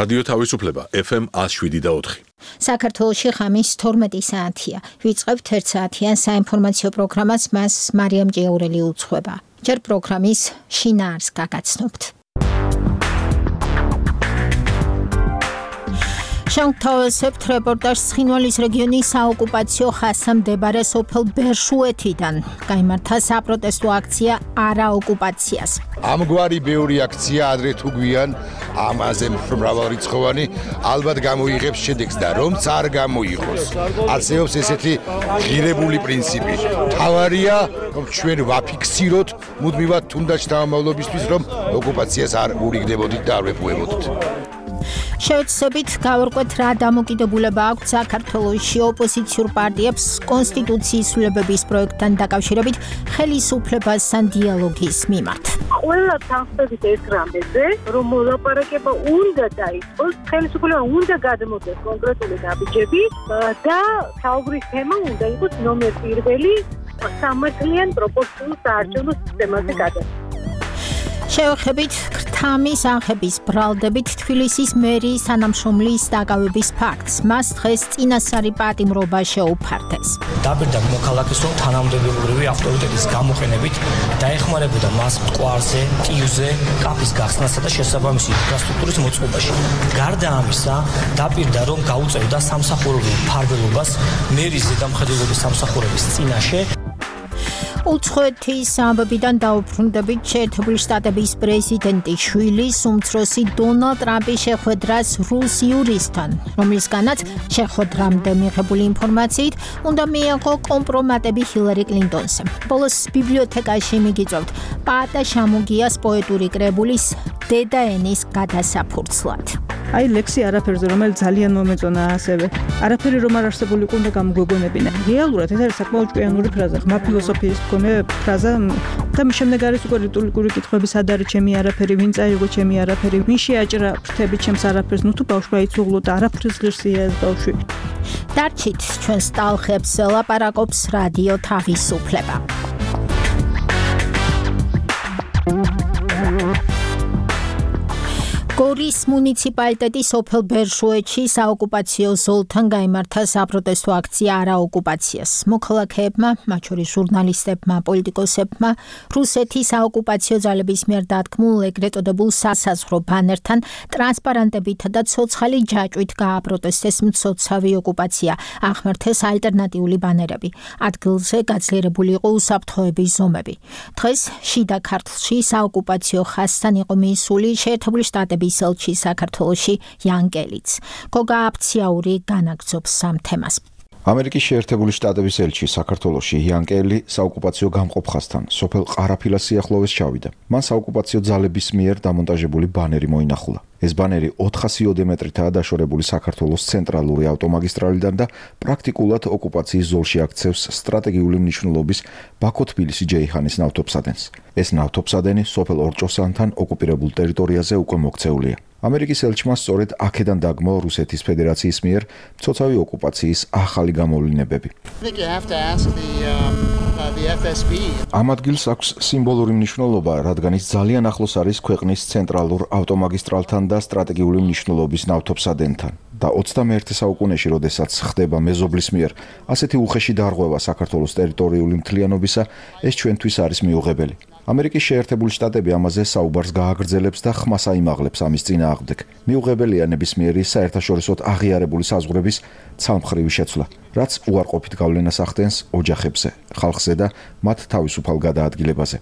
რადიო თავისუფლება FM 107.4. საქართველოში ღამის 12 საათია. ვიწყებთ 1 საათიან საინფორმაციო პროგრამას, მას მარიამ ჭიაურელი უძღვება. ჯერ პროგრამის შინაარს გაგაცნობთ. შევთავაზებთ რეპორტაჟს ცხინვალის რეგიონის საოკუპაციო ხაზზე მდებარე სოფელ ბერშუეთიდან. გაიმართა საპროტესტო აქცია არა ოკუპაციას. ამგვარი ბევრი აქცია ადრე თუ გვიან ამაზე მრავალრიცხოვანი ალბათ გამოიღებს შედეგს და რომც არ გამოიღოს. არსებობს ესეთი ღირებული პრინციპი. თავარია რომ ჩვენ ვაფიქსიროთ მუდმივად თუნდაც შთამომავლობისთვის რომ ოკუპაციას არ ურიგდებოდით და არ ვეპუებოდით. შევეცდებით გავარკვევთ რა დამოკიდებულება აქვს საქართველოში ოპოზიციურ პარტიებს კონსტიტუციის ცვლილებების პროექტთან დაკავშირებით ხელისუფლებასთან დიალოგის მიმართ. ყველა თანხმდებით ეს რამეზე, რომ მოლაპარაკება უნდა დაიწყოს, ხელისუფლება უნდა გადმოდეს კონკრეტული ნაბიჯები და საუბრის თემა უნდა იყოს ნომერ 1 სამართლიან პროპორციულ საარჩევნო სისტემაზე გადასვლა. შევეხებით ქრთამის აღების ბრალდებით თბილისის მერიის თანამშრომლის დაკავების ფაქტს. მას დღეს წინასწარი პატიმრობა შეუფარდეს. დაპირდა მოქალაქეს, რომ თანამდებობრივი ავტორიტეტის გამოყენებით დაეხმარებოდა მას მტკვარზე, ტიუზე, კაფის გახსნასა და შესაბამისი ინფრასტრუქტურის მოწყობაში. გარდა ამისა, დაპირდა, რომ გაუწევდა სამსახურებრივ მფარველობას მერის ზედამხედველობის სამსახურების წინაშე. უცხოეთის ამბებიდან დაუბრუნდებით შეერთებული შტატების პრეზიდენტის შვილის უმცროსი დონალდ ტრამპის შეხვედრას რუს იურისტთან, რომლისგანაც შეხვედრამდე მიღებული ინფორმაციით უნდა მიეღო კომპრომატები ჰილარი კლინტონზე. ბოლოს ბიბლიოთეკაში მიგიწევთ პაატა შამუგიას პოეტური კრებულის დედა ენის გადასაფურცლად. აი ლექსი არაფერზე, რომელიც ძალიან მომეწონა ასევე. არაფერი რომ არ არსებულიყო უნდა გამოგვეგონებინა. რეალურად ეს არის საკმაოდ ჭკვიანური ფრაზა, ღმა ფილოსოფიის მქონე ფრაზა და მის შემდეგ არის უკვე რიტორიკული კითხვები, სად არის ჩემი არაფერი, ვინ წაიღო ჩემი არაფერი, ვინ შეაჭრა ფრთები ჩემს არაფერს, ნუ თუ ბავშვი აიცუღლო და არაფრის ღირსია ეს ბავშვი. დარჩით ჩვენს ტალღებს ლაპარაკობს რადიო თავისუფლება. გორის მუნიციპალიტეტის სოფელ ბერშუეთში საოკუპაციო ზოლთან გაიმართა საპროტესტო აქცია არა ოკუპაციას. მოქალაქეებმა, მათ შორის ჟურნალისტებმა, პოლიტიკოსებმა, რუსეთის საოკუპაციო ძალების მიერ დადგმულ ეგრეთ წოდებულ სასაზღვრო ბანერთან, ტრანსპარანტებითა და ცოცხალი ჯაჭვით გააპროტესტეს მცოცავი ოკუპაცია, აღმართეს ალტერნატიული ბანერები. ადგილზე გაძლიერებული იყო უსაფრთხოების ზომები. დღეს შიდა ქართლში საოკუპაციო ხაზთან იყო მისული შეერთებული შტატების ელჩი საქართველოში იან კელიც. გოგა აფციაური განაგრძობს ამ თემას. ამერიკის შეერთებული შტატების ელჩი საქართველოში იან კელი საოკუპაციო გამყოფ ხაზთან სოფელ ყარაფილას სიახლოვეს ჩავიდა. მან საოკუპაციო ძალების მიერ დამონტაჟებული ბანერი მოინახულა. ეს ბანერი 400 მეტრითაა დაშორებული საქართველოს ცენტრალური ავტომაგისტრალიდან და პრაქტიკულად ოკუპაციის ზოლში აქცევს სტრატეგიული მნიშვნელობის ბაქო-თბილისი-ჯეიჰანის ნავთობსადენს. ეს ნავთობსადენი სოფელ ორჭოსანთან ოკუპირებულ ტერიტორიაზე უკვე მოქცეულია. ამერიკის ელჩმა სწორედ აქედან დაგმო რუსეთის ფედერაციის მიერ მცოცავი ოკუპაციის ახალი გამოვლინებები. ამ ადგილს აქვს სიმბოლური მნიშვნელობა, რადგან ის ძალიან ახლოს არის ქვეყნის ცენტრალურ ავტომაგისტრალთან და სტრატეგიული მნიშვნელობის ნავთობსადენთან. და 21 საუკუნეში, როდესაც ხდება მეზობლის მიერ ასეთი უხეში დარღვევა საქართველოს ტერიტორიული მთლიანობისა, ეს ჩვენთვის არის მიუღებელი. ამერიკის შეერთებული შტატები ამაზე საუბარს გააგრძელებს და ხმას აიმაღლებს ამის წინააღმდეგ. მიუღებელია ნებისმიერი საერთაშორისოდ აღიარებული საზღვრების ცალმხრივი შეცვლა, რაც უარყოფით გავლენას ახდენს ოჯახებზე, ხალხზე და მათ თავისუფალ გადაადგილებაზე.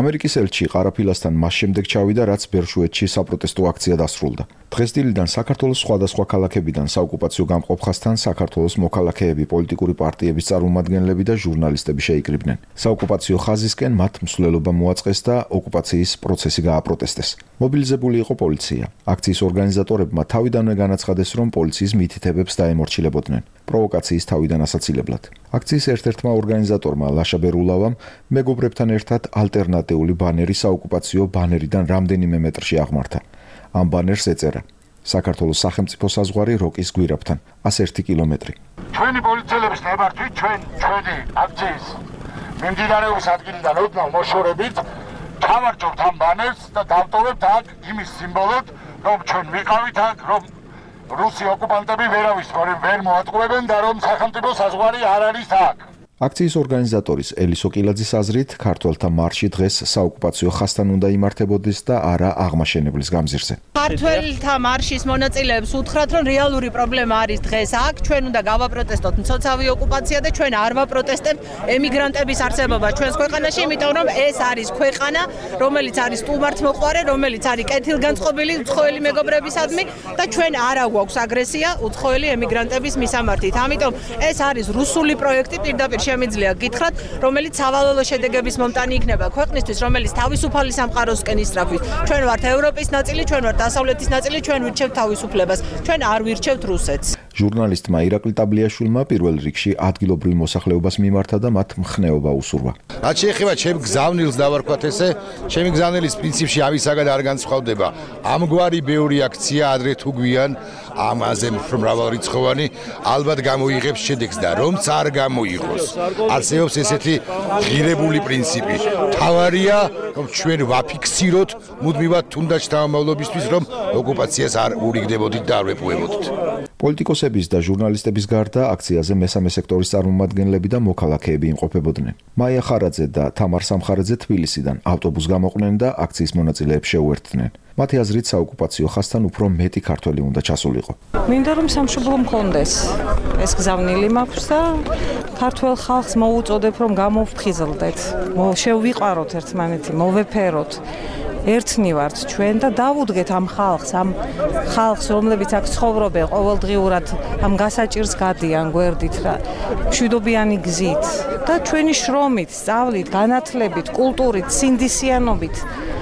ამერიკის ელჩი ყარაფილასთან მას შემდეგ ჩავიდა, რაც ბერშუეთში საპროტესტო აქცია დასრულდა. დღესდილიდან საქართველოს სხვადასხვა ქალაქებიდან საოკუპაციო გამყოფ ხაზთან საქართველოს მოქალაქეები, პოლიტიკური პარტიების წარმომადგენლები და ჟურნალისტები შეიკრიბნენ. საოკუპაციო ხაზისკენ მათ მსვლელობა მოაწყეს და ოკუპაციის პროცესი გააპროტესტეს. მობილიზებული იყო პოლიცია. აქციის ორგანიზატორებმა თავიდანვე განაცხადეს, რომ პოლიციის მითითებებს დაემორჩილებოდნენ. პროვოკაციის თავიდან ასაცილებლად. აქციის ერთ-ერთმა ორგანიზატორმა ლაშა ბერულავამ მეგობრებთან ერთად ალტერნატიული ბანერი საოკუპაციო ბანერიდან რამდენიმე მეტრში აღმართა. ამ ბანერს ეწერა: საქართველოს სახელმწიფო საზღვარი როკის გვირაბთან 101 კილომეტრი. ჩვენი პოლიციელების ნებართვით ჩვენი აქციის მიმდინარეობის ადგილიდან ოდნავ მოშორებით ჩავარჯობთ ამ ბანერს და დავტოვებთ აქ იმის სიმბოლოდ, რომ ჩვენ ვიყავით აქ, რომ რუსი ოკუპანტები ვერავის ვერ მოატყუებენ და რომ სახელმწიფო საზღვარი არ არის აქ. აქციის ორგანიზატორის ელისო კილაძის აზრით, ქართველთა მარში დღეს საოკუპაციო ხასთან უნდა იმართებოდეს და არა აღმაშენებლის გამზირზე. ქართველთა მარშის მონაწილეებს უთხრათ, რომ რეალური პრობლემა არის დღეს აქ, ჩვენ უნდა გავაპროტესტოთ მცოცავი ოკუპაცია და ჩვენ არ ვაპროტესტებთ ემიგრანტების არსებობა ჩვენს ქვეყანაში, იმიტომ რომ ეს არის ქვეყანა, რომელიც არის სტუმართმოყვარე, რომელიც არის კეთილგანწყობილი უცხოელი მეგობრებისადმი და ჩვენ არა გვაქვს აგრესია უცხოელი ემიგრანტების მისამართით. ამიტომ ეს არის რუსული პროექტი პირდაპირ შემიძლია გითხრათ, რომელიც სავალალო შედეგების მომტანი იქნება ქვეყნისთვის, რომელიც თავისუფალი სამყაროსკენ ისწრაფვის. ჩვენ ვართ ევროპის ნაწილი, ჩვენ ვართ დასავლეთის ნაწილი, ჩვენ ვირჩევთ თავისუფლებას. ჩვენ არ ვირჩევთ რუსეთს. ჟურნალისტმა ირაკლი ტაბლიაშვილმა პირველ რიგში ადგილობრივ მოსახლეობას მიმართა და მათ მხნეობა უსურვა. რაც შეეხება ჩემ გზავნილს დავარქვათ ესე, ჩემი გზავნილის პრინციპში ამისაგან არ განსხვავდება. ამგვარი ბევრი აქცია ადრე თუ გვიან ამაზე მრავალრიცხოვანი ალბათ გამოიღებს შედეგს და რომც არ გამოიღოს. არსებობს ესეთი ღირებული პრინციპი. თავარია, რომ ჩვენ ვაფიქსიროთ მუდმივად თუნდაც შთამომავლობისთვის, რომ ოკუპაციას არ ურიგდებოდით და არ ვეპოვებოდით. პოლიტიკოსების და ჟურნალისტების გარდა აქციაზე მესამე სექტორის წარმომადგენლები და მოქალაქეები იმყოფებოდნენ. მაია ხარაძე და თამარ სამხარაძე თბილისიდან ავტობუს გამოყვნენ და აქციის მონაწილეებს შეუერთდნენ. მათი აზრით საოკუპაციო ხასთან უფრო მეტი ქართველი უნდა ჩასულიყო. მინდა რომ სამშობლო მქონდეს ეს გზავნილი მაქვს და ქართველ ხალხს მოუწოდებ რომ გამოვფხიზლდეთ, შევიყვაროთ ერთმანეთი, მოვეფეროთ. ერთნი ვართ ჩვენ და დავუდგეთ ამ ხალხს, რომლებიც აქ ცხოვრობენ ყოველდღიურად ამ გასაჭირს გადიან გვერდით რა, მშვიდობიანი გზით და ჩვენი შრომით, სწავლით, განათლებით, კულტურით, სინდისიანობით.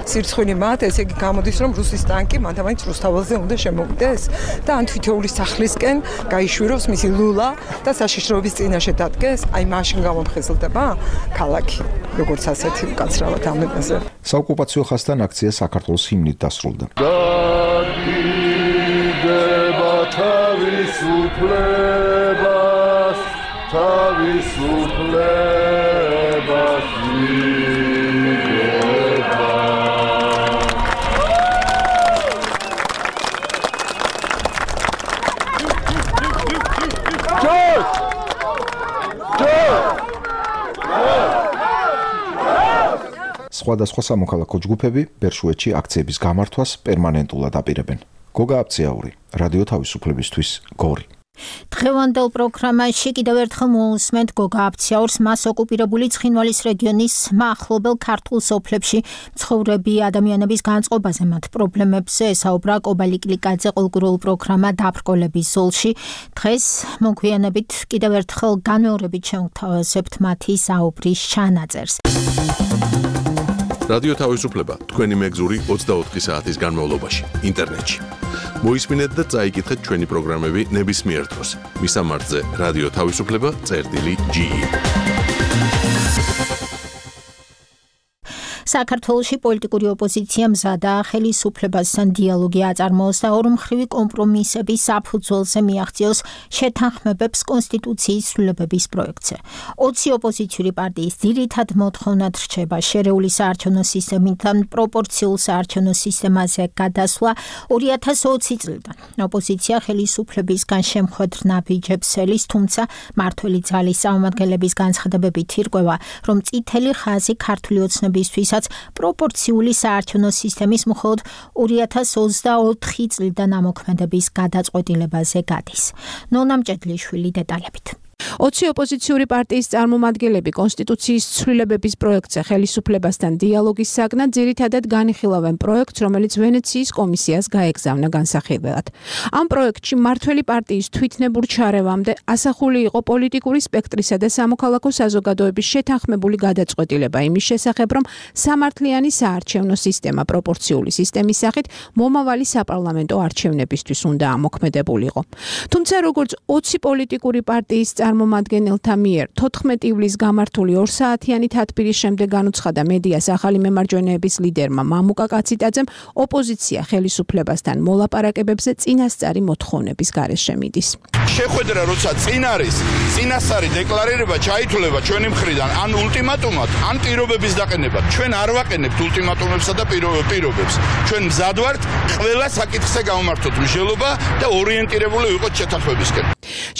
სირცხვინი მათ, ესე იგი გამოდის, რომ რუსის ტანკი მანდ-ამაინც რუსთაველზე უნდა შემოვიდეს და ან თითოეული სახლისკენ გაიშვიროს მისი ლულა და საშიშროების წინაშე დადგეს, აი მაშინ გამოფხიზლდება ქალაქი, როგორც ასეთი უკაცრავად ამ იმაზე. საოკუპაციო ხასთან აქცია საქართველოს ჰიმნით დასრულდა. სხვადასხვა სამოქალაქო ჯგუფები ბერშუეთში აქციების გამართვას პერმანენტულად აპირებენ. გოგა აბციაური, რადიო თავისუფლებისთვის, გორი. დღევანდელ პროგრამაში კიდევ ერთხელ მოусმენთ გოგა აბციაურს მას ოკუპირებული ცხინვალის რეგიონის მახლობელ ქართულ სოფლებში მცხოვრები ადამიანების განწყობაზე, მათ პრობლემებზე ესაუბრა კობალი კლიკაძე ყოლგურულ პროგრამა დაბრკოლების ზოლში. დღეს მოგვიანებით კიდევ ერთხელ განმეორებით შევთავაზებთ მათი საუბრის ჩანაწერს. რადიო თავისუფლება თქვენი მეგზური 24 საათის განმავლობაში ინტერნეტში. მოისმინეთ და წაიკითხეთ ჩვენი პროგრამები ნებისმიერ დროს. მისამართზე რადიო თავისუფლება.ge. საქართველოში პოლიტიკური ოპოზიცია მზადა ხელისუფლებასთან დიალოგი აწარმოოს და ორმხრივი კომპრომისების საფუძველზე მიაღწიოს შეთანხმებებს კონსტიტუციის ცვლილებების პროექტზე. 20 ოპოზიციური პარტიის ძირითად მოთხოვნად რჩება შერეული საარჩევნო სისტემიდან პროპორციულ საარჩევნო სისტემაზე გადასვლა 2020 წლიდან. ოპოზიცია ხელისუფლებისგან შემხვედრ ნაბიჯებს ელის, თუმცა მმართველი ძალის წარმომადგენლების განცხადებებით ირკვევა, რომ წითელი ხაზი ქართული ოცნებისთვის პროპორციული საარჩევნო სისტემის მხოლოდ 2024 წლიდან ამოქმედების გადაწყვეტილებაზე გადის. ნონა მჭედლიშვილი დეტალებით. 20 ოპოზიციური პარტიის წარმომადგენლები კონსტიტუციის ცვლილებების პროექტზე ხელისუფლებასთან დიალოგის საგნად ძირითადად განიხილავენ პროექტს, რომელიც ვენეციის კომისიას გაეგზავნა განსახილველად. ამ პროექტში მმართველი პარტიის თვითნებურ ჩარევამდე ასახული იყო პოლიტიკური სპექტრისა და სამოქალაქო საზოგადოების შეთანხმებული გადაწყვეტილება იმის შესახებ, რომ სამართლიანი საარჩევნო სისტემა პროპორციული სისტემის სახით მომავალი საპარლამენტო არჩევნებისთვის უნდა ამოქმედებულიყო. თუმცა როგორც 20 პოლიტიკური პარტიის წარმომადგენელთა მიერ 14 ივლისს გამართული 2 საათიანი თათბირის შემდეგ განუცხადა მედიას ახალი მემარჯვენეების ლიდერმა მამუკა კაციტაძემ, ოპოზიცია ხელისუფლებასთან მოლაპარაკებებზე წინასწარი მოთხოვნების გარეშე მიდის. შეხვედრა როცა წინ არის, წინასწარი დეკლარირება ჩაითვლება ჩვენი მხრიდან ან ულტიმატუმად, ან პირობების დაყენებად. ჩვენ არ ვაყენებთ ულტიმატუმებსა და პირობებს. ჩვენ მზად ვართ ყველა საკითხზე გამართოთ მსჯელობა და ორიენტირებული ვიყოთ შეთანხმებისკენ.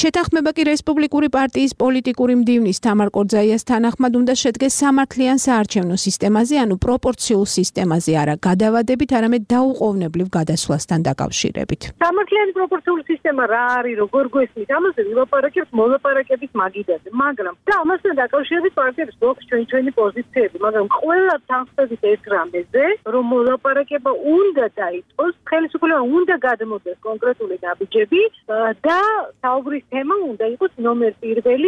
შეთანხმება კი რესპუბლიკური პარტიის პოლიტიკური მდივნის თამარ კორძაიას თანახმად უნდა შედგეს სამართლიან საარჩევნო სისტემაზე, ანუ პროპორციულ სისტემაზე, არა გადავადებით, არამედ დაუყოვნებლივ გადასვლასთან დაკავშირებით. სამართლიანი პროპორციული სისტემა რა არის, როგორ გვესმის, ამაზე ვილაპარაკებთ მოლაპარაკების მაგიდაზე, მაგრამ და ამასთან დაკავშირებით პარტიებს გვაქვს ჩვენი პოზიციები, მაგრამ ყველა თანხმდებით ეს რამეზე, რომ მოლაპარაკება უნდა დაიწყოს, ხელისუფლება უნდა გადმოდეს კონკრეტული ნაბიჯები და საუბრის თემა უნდა იყოს ნომერ 1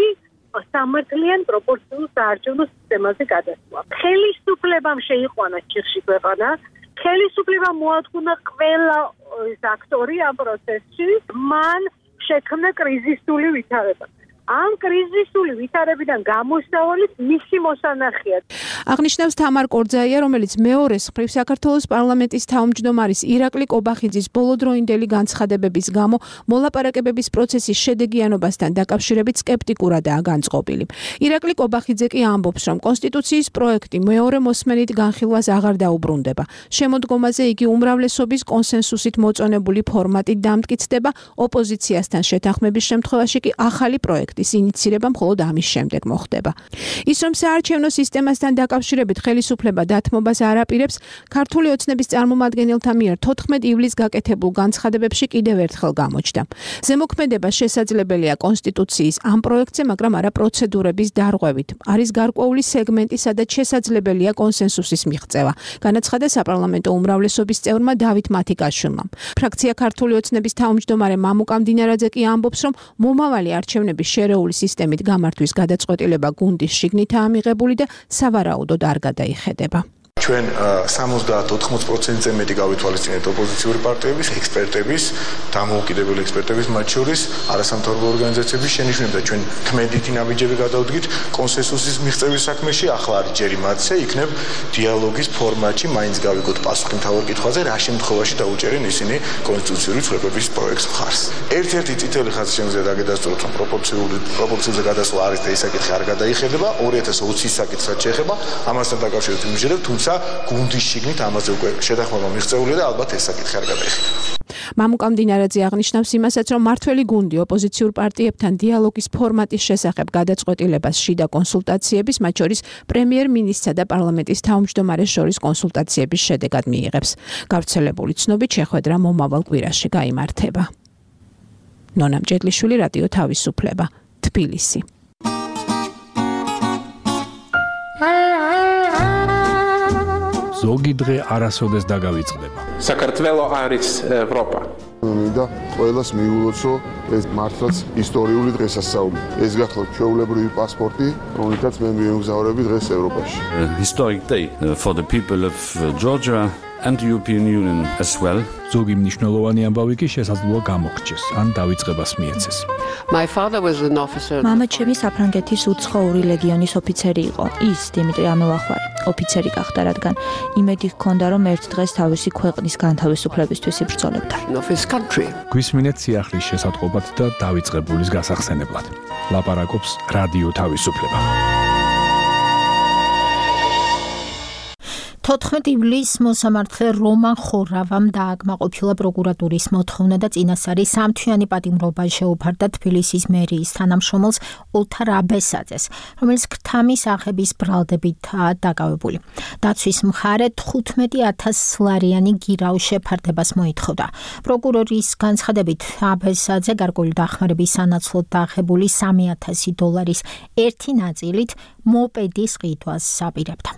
სამართლიან პროპორციულ საარჩევნო სისტემაზე გადასვლა. ხელისუფლებამ შეიყვანა ჩიხში ქვეყანა, ხელისუფლებამ მოადგუნა ყველა აქტორი ამ პროცესში, მან შექმნა კრიზისული ვითარება. ამ კრიზისული ვითარებიდან გამოსავალიც მისი მოსანახია. აღნიშნავს თამარ კორძაია, რომელიც მეორეს მხრივ საქართველოს პარლამენტის თავმჯდომარის ირაკლი კობახიძის ბოლოდროინდელი განცხადებების გამო მოლაპარაკებების პროცესის შედეგიანობასთან დაკავშირებით სკეპტიკურადაა განწყობილი. ირაკლი კობახიძე კი ამბობს, რომ კონსტიტუციის პროექტი მეორე მოსმენით განხილვას აღარ დაუბრუნდება. შემოდგომაზე იგი უმრავლესობის კონსენსუსით მოწონებული ფორმატით დამტკიცდება, ოპოზიციასთან შეთანხმების შემთხვევაში კი ახალი პროექტის ინიცირება მხოლოდ ამის შემდეგ მოხდება. ის რომ საარჩევნო სისტემასთან დაკავშირებით ხელისუფლება დათმობას არ აპირებს, ქართული ოცნების წარმომადგენელთა მიერ 14 ივლისს გაკეთებულ განცხადებებში კიდევ ერთხელ გამოჩნდა. ზემოქმედება შესაძლებელია კონსტიტუციის ამ პროექტზე, მაგრამ არა პროცედურების დარღვევით. არის გარკვეული სეგმენტი, სადაც შესაძლებელია კონსენსუსის მიღწევა, განაცხადა საპარლამენტო უმრავლესობის წევრმა დავით მათიკაშვილმა. ფრაქცია ქართული ოცნების თავმჯდომარე მამუკა მდინარაძე კი ამბობს, რომ მომავალი არჩევნების შერეული სისტემით გამართვის გადაწყვეტილება გუნდის შიგნითაა მიღებული და სავარაუდოდ არ გადაიხედება. ჩვენ 70-80%-ზე მეტი გავითვალისწინეთ ოპოზიციური პარტიების, ექსპერტების, დამოუკიდებელი ექსპერტების, მათ შორის არასამთავრობო ორგანიზაციების შენიშვნები და ჩვენ ქმედითი ნაბიჯები გადავდგით კონსენსუსის მიღწევის საქმეში. ახლა არის ჯერი მათზე, იქნებ დიალოგის ფორმატში მაინც გავიგოთ პასუხი მთავარ კითხვაზე, რა შემთხვევაში დაუჭერენ ისინი კონსტიტუციური ცვლილებების პროექტს მხარს. ერთ-ერთი წითელი ხაზი შემიძლია დაგედასტუროთ, რომ პროპორციულზე გადასვლა არის და ეს საკითხი არ გადაიხედება. 2020-ის საკითხსაც შეეხება, ამასთან დაკავშირებით ვიმჯერებ, თუმცა გუნდის შიგნით ამაზე უკვე შეთანხმება მიღწეულია და ალბათ ეს საკითხი არ გადაიხადა. მამუკა მდინარაძე აღნიშნავს იმასაც, რომ მართველი გუნდი ოპოზიციურ პარტიებთან დიალოგის ფორმატის შესახებ გადაწყვეტილებას შიდა კონსულტაციების, მათ შორის პრემიერ-მინისტრსა და პარლამენტის თავმჯდომარეს შორის კონსულტაციების შედეგად მიიღებს. გავრცელებული ცნობით შეხვედრა მომავალ კვირაში გაიმართება. ნონა მჭედლიშვილი, რადიო თავისუფლება, თბილისი. ზოგი დღე არასოდეს დაგავიწყდება. საქართველო არის ევროპა. მინდა ყველას მიულოცო ეს მართლაც ისტორიული დღესასწაული. ეს გახლავთ ჩვეულებრივი პასპორტი, რომელთაც მე მიემგზავრები დღეს ევროპაში. Historic day for the people of Georgia and the European Union as well. ზოგი მნიშვნელოვანი ამბავი კი შესაძლოა გამოგრჩეს, ან დავიწყებას მიეცეს. My father was an officer. მამა ჩემი საფრანგეთის უცხოური ლეგიონის ოფიცერი იყო. ის დიმიტრი ამელახვარი ოფიცერი გახდა, რადგან იმედი ჰქონდა, რომ ერთ დღეს თავისი ქვეყნის განთავისუფლებისთვის იბრძოლებდა. გვისმინეთ სიახლის შესატყობად და დავიწყებულის გასახსენებლად. ლაპარაკობს რადიო თავისუფლება. 14 ივლისს მოსამართლე რომან ხორავამ დააკმაყოფილა პროკურატურის მოთხოვნა და წინასწარი სამთვიანი პატიმრობა შეუფარდა თბილისის მერიის თანამშრომელს ოლთარ აბესაძეს, რომელიც ქრთამის აღების ბრალდებითაა დაკავებული. დაცვის მხარე 15,000 ლარიანი გირაუ შეფარდებას მოითხოვდა. პროკურორის განცხადებით, აბესაძე გარკვეული დახმარების სანაცვლოდ დაახებული $3,000 ერთი ნაწილით მოპედის ყიდვას აპირებდა.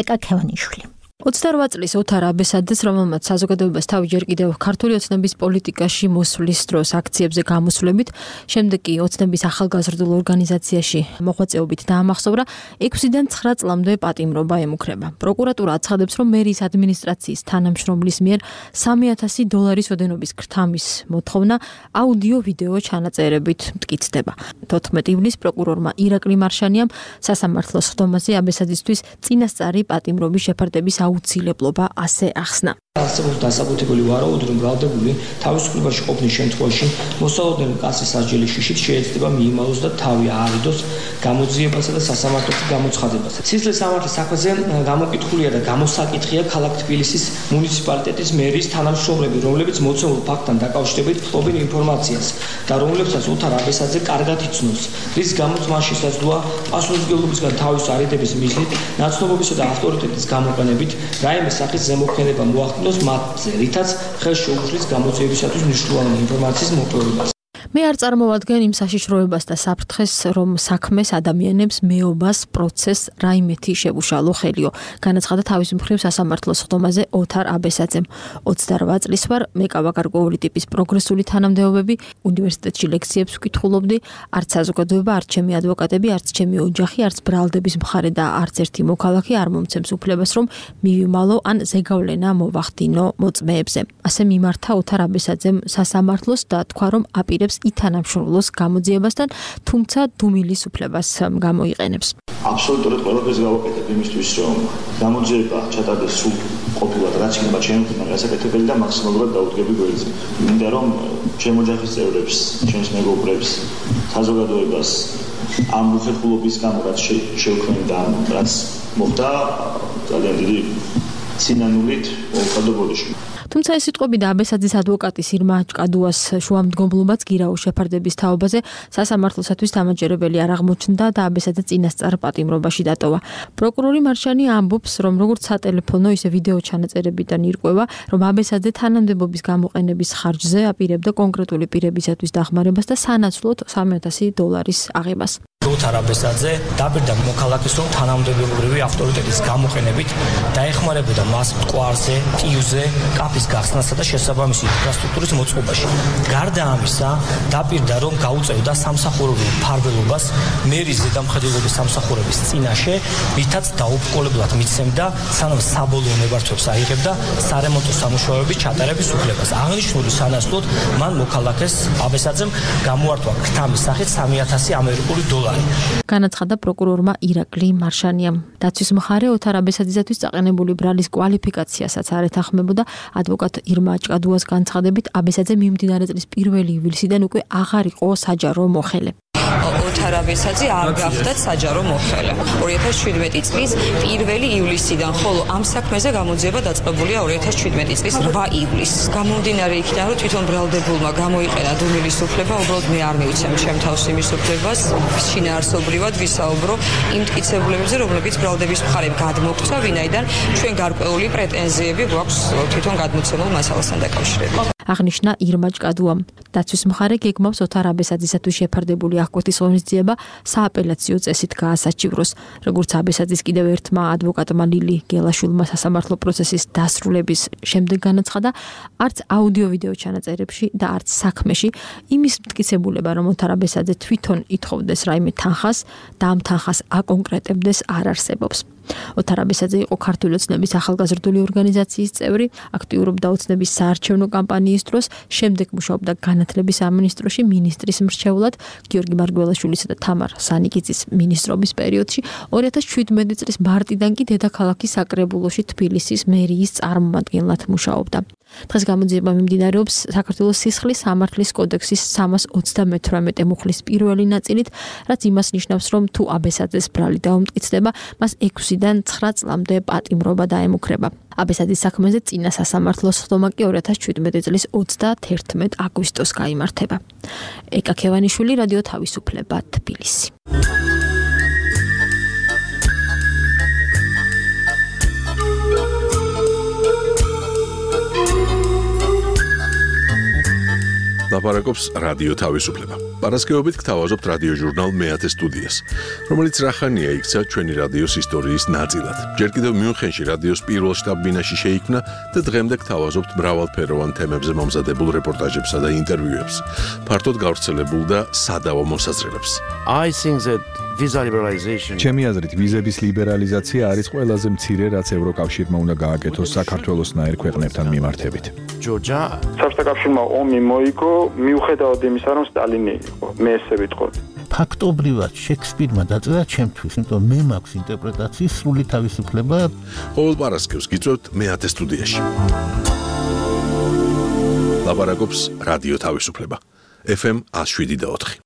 ეკა ქევანიშვილი. 28 წლის ოთარ აბესაძეს, რომელმაც საზოგადოებას თავი ჯერ კიდევ ქართული ოცნების პოლიტიკაში მოსვლის დროს აქციებზე გამოსვლებით, შემდეგ კი ოცნების ახალგაზრდულ ორგანიზაციაში მოღვაწეობით დაამახსოვრა, 6-დან 9 წლამდე პატიმრობა ემუქრება. პროკურატურა აცხადებს, რომ მერის ადმინისტრაციის თანამშრომლის მიერ $3,000 ოდენობის ქრთამის მოთხოვნა აუდიო-ვიდეო ჩანაწერებით მტკიცდება. 14 ივნისს პროკურორმა ირაკლი მარშანიამ სასამართლოს ხდომაზე აბესაძისთვის წინასწარი პატიმრობის შეფარდების აუცილებლობა ასე ახსნა. არსებობს დასაბუთებელი ვარაუდი, რომ ბრალდებული თავისუფლებაში ყოფნის შემთხვევაში მოსალოდნელი კაცის სასჯელის შიშით შეიძლება მიიმალოს და თავი აარიდოს გამოძიებასა და სასამართლოში გამოცხადებასა. სისხლის სამართლის საქმეზე გამოკითხულია და გამოსაკითხია ქალაქ თბილისის მუნიციპალიტეტის მერის თანამშრომლები, რომლებიც მოცემულ ფაქტთან დაკავშირებით ფლობენ ინფორმაციას და რომლებსაც ოთარ აბესაძე კარგად იცნობს, რის გამოც მან შესაძლოა პასუხისმგებლობისგან თავის არიდების მიზნით, ნაცნობობისა და ავტორიტეტის გამოყენებით რაიმე სახის ზემოქმედება მოახდინოს მათზე, რითაც ხელს შეუქმნის გამოძიებისათვის მნიშვნელოვანი ინფორმაციის მოპოვებას. მე არ წარმოვადგენ იმ საშიშროებას და საფრთხეს, რომ საქმეს ადამიანებს მეობას პროცესს რაიმეთი შევუშალო ხელიო. განაცხადა თავის მხრივ სასამართლოს ხდომაზე ოთარ აბესაძემ. 28 წლის ვარ, მეკავაკარკვეული ტიპის პროგრესული თანამდებობები, უნივერსიტეტში ლექციებს ვკითხულობდი, არც საზოგადოება, არც ჩემი ადვოკატები, არც ჩემი ოჯახი, არც ბრალდების მხარე და არც ერთი მოქალაქე არ მომცემს უფლებას, რომ მივიმალო ან ზეგავლენა მოვახდინო მოწმეებზე. ასე მიმართა ოთარ აბესაძემ სასამართლოს და თქვა, რომ აპირებს ითანამშრომლოს გამოძიებასთან, თუმცა დუმილის უფლებას გამოიყენებს. აბსოლუტურად ყველაფერს გავაკეთებ იმისთვის, რომ გამოძიება ჩატარდეს სულ ყოფილად, რაც იქნება ჩემი მხრიდან გასაკეთებელი და მაქსიმალურად დაუდგები გვერდზე. მინდა რომ ჩემ ოჯახის წევრებს, ჩემს მეგობრებს, საზოგადოებას ამ უხერხულობის გამო რაც შევქმნი და რაც მოხდა ძალიან დიდი სინანულით მოუხადო ბოდიში. თუმცა ეს სიტყვები და აბესაძის ადვოკატის ირმა ჭკადუას შუამდგომლობაც გირაოს შეფარდების თაობაზე სასამართლოსათვის დამაჯერებელი არ აღმოჩნდა და აბესაძე წინასწარ პატიმრობაში დატოვა. პროკურორი მარშანი ამბობს, რომ როგორც სატელეფონო, ისე ვიდეო ჩანაწერებიდან ირკვევა, რომ აბესაძე თანამდებობის გამოყენების ხარჯზე აპირებდა კონკრეტული პირებისათვის დახმარებას და სანაცვლოდ $3,000 აღებას. ოთარ აბესაძე დაპირდა მოქალაქეს, რომ თანამდებობრივი ავტორიტეტის გამოყენებით დაეხმარებოდა მას მტკვარზე, ტიუზე, კაფის გახსნასა და შესაბამისი ინფრასტრუქტურის მოწყობაში. გარდა ამისა, დაპირდა, რომ გაუწევდა სამსახურებრივ მფარველობას მერის ზედამხედველობის სამსახურების წინაშე, რითაც დაუბრკოლებლად მიცემდა, სანამ საბოლოო ნებართვებს აიღებდა სარემონტო სამუშაოების ჩატარების უფლებას. აღნიშნული სანაცვლოდ მან მოქალაქეს აბესაძემ გამოართვა ქრთამის სახით $3,000. განაცხადა პროკურორმა ირაკლი მარშანიამ. დაცვის მხარე ოთარ აბესაძისათვის წაყენებული ბრალის კვალიფიკაციასაც არ ეთანხმებოდა. ადვოკატ ირმა ჭკადუას განცხადებით, აბესაძე მიმდინარე წლის 1 ივლისიდან უკვე აღარ იყო საჯარო მოხელე. ოთარ აბესაძე არ გახდათ საჯარო მოხელე. 2017 წლის 1 ივლისიდან, ხოლო ამ საქმეზე გამოძიება დაწყებულია 2017 წლის 8 ივლისს. გამომდინარე იქიდან, რომ თვითონ ბრალდებულმა გამოიყენა დუმილის უფლება, უბრალოდ მე არ მივიცემ ჩემ თავს იმის უფლებას, შინაარსობრივად ვისაუბრო იმ მტკიცებულებებზე, რომლებიც ბრალდების მხარემ გადმოგვცა, ვინაიდან ჩვენ გარკვეული პრეტენზიები გვაქვს თვითონ გადმოცემულ მასალასთან დაკავშირებით. აღნიშნა ირმა ჭკადუამ. დაცვის მხარე გეგმავს ოთარ აბესაძისათვის შეფარდებული აღკვეთის ღონისძიება სააპელაციო წესით გაასაჩივროს. როგორც აბესაძის კიდევ ერთმა ადვოკატმა ლილი გელაშვილმა სასამართლო პროცესის დასრულების შემდეგ განაცხადა, არც აუდიო-ვიდეო ჩანაწერებში და არც საქმეში იმის მტკიცებულება, რომ ოთარ აბესაძე თვითონ ითხოვდეს რაიმე თანხას და ამ თანხას აკონკრეტებდეს, არ არსებობს. ოთარ აბესაძე იყო ქართული ოცნების ახალგაზრდული ორგანიზაციის წევრი, აქტიურობდა ოცნების საარჩევნო კამპანიის დროს, შემდეგ მუშაობდა განათლების სამინისტროში მინისტრის მრჩევლად, გიორგი მარგველაშვილისა და თამარ სანიკიძის მინისტრობის პერიოდში, 2017 წლის მარტიდან კი დედაქალაქის საკრებულოში თბილისის მერიის წარმომადგენლად მუშაობდა. დღეს გამოძიება მიმდინარეობს საქართველოს სისხლის სამართლის კოდექსის 328 მუხლის პირველი ნაწილით, რაც იმას ნიშნავს, რომ თუ აბესაძეს ბრალი დაუმტკიცდება, მას 6-დან 9 წლამდე პატიმრობა დაემუქრება. აბესაძის საქმეზე წინა სასამართლოს ხდომა კი 2017 წლის 31 აგვისტოს გაიმართება. ეკა ქევანიშვილი, რადიო თავისუფლება, თბილისი. ლაპარაკობს რადიო თავისუფლება. პარასკევობით გთავაზობთ რადიო ჟურნალ მეათე სტუდიას, რომელიც რახანია იქცა ჩვენი რადიოს ისტორიის ნაწილად. ჯერ კიდევ მიუნხენში რადიოს პირველ შტაბ-ბინაში შეიქმნა და დღემდე გთავაზობთ მრავალფეროვან თემებზე მომზადებულ რეპორტაჟებსა და ინტერვიუებს, ფართოდ გავრცელებულ და სადავო მოსაზრებებს. ჩემი აზრით, ვიზების ლიბერალიზაცია არის ყველაზე მცირე, რაც ევროკავშირმა უნდა გააკეთოს საქართველოსნაირ ქვეყნებთან მიმართებით. საბჭოთა კავშირმა ომი მოიგო, მიუხედავად იმისა, რომ სტალინი იყო, მე ესე ვიტყოდი. ფაქტობრივად შექსპირმა დაწერა ჩემთვის, იმიტომ მე მაქვს ინტერპრეტაციის სრული თავისუფლება. ყოველ პარასკევს გიწევთ მეათე სტუდიაში. ლაპარაკობს რადიო თავისუფლება. FM 107.4.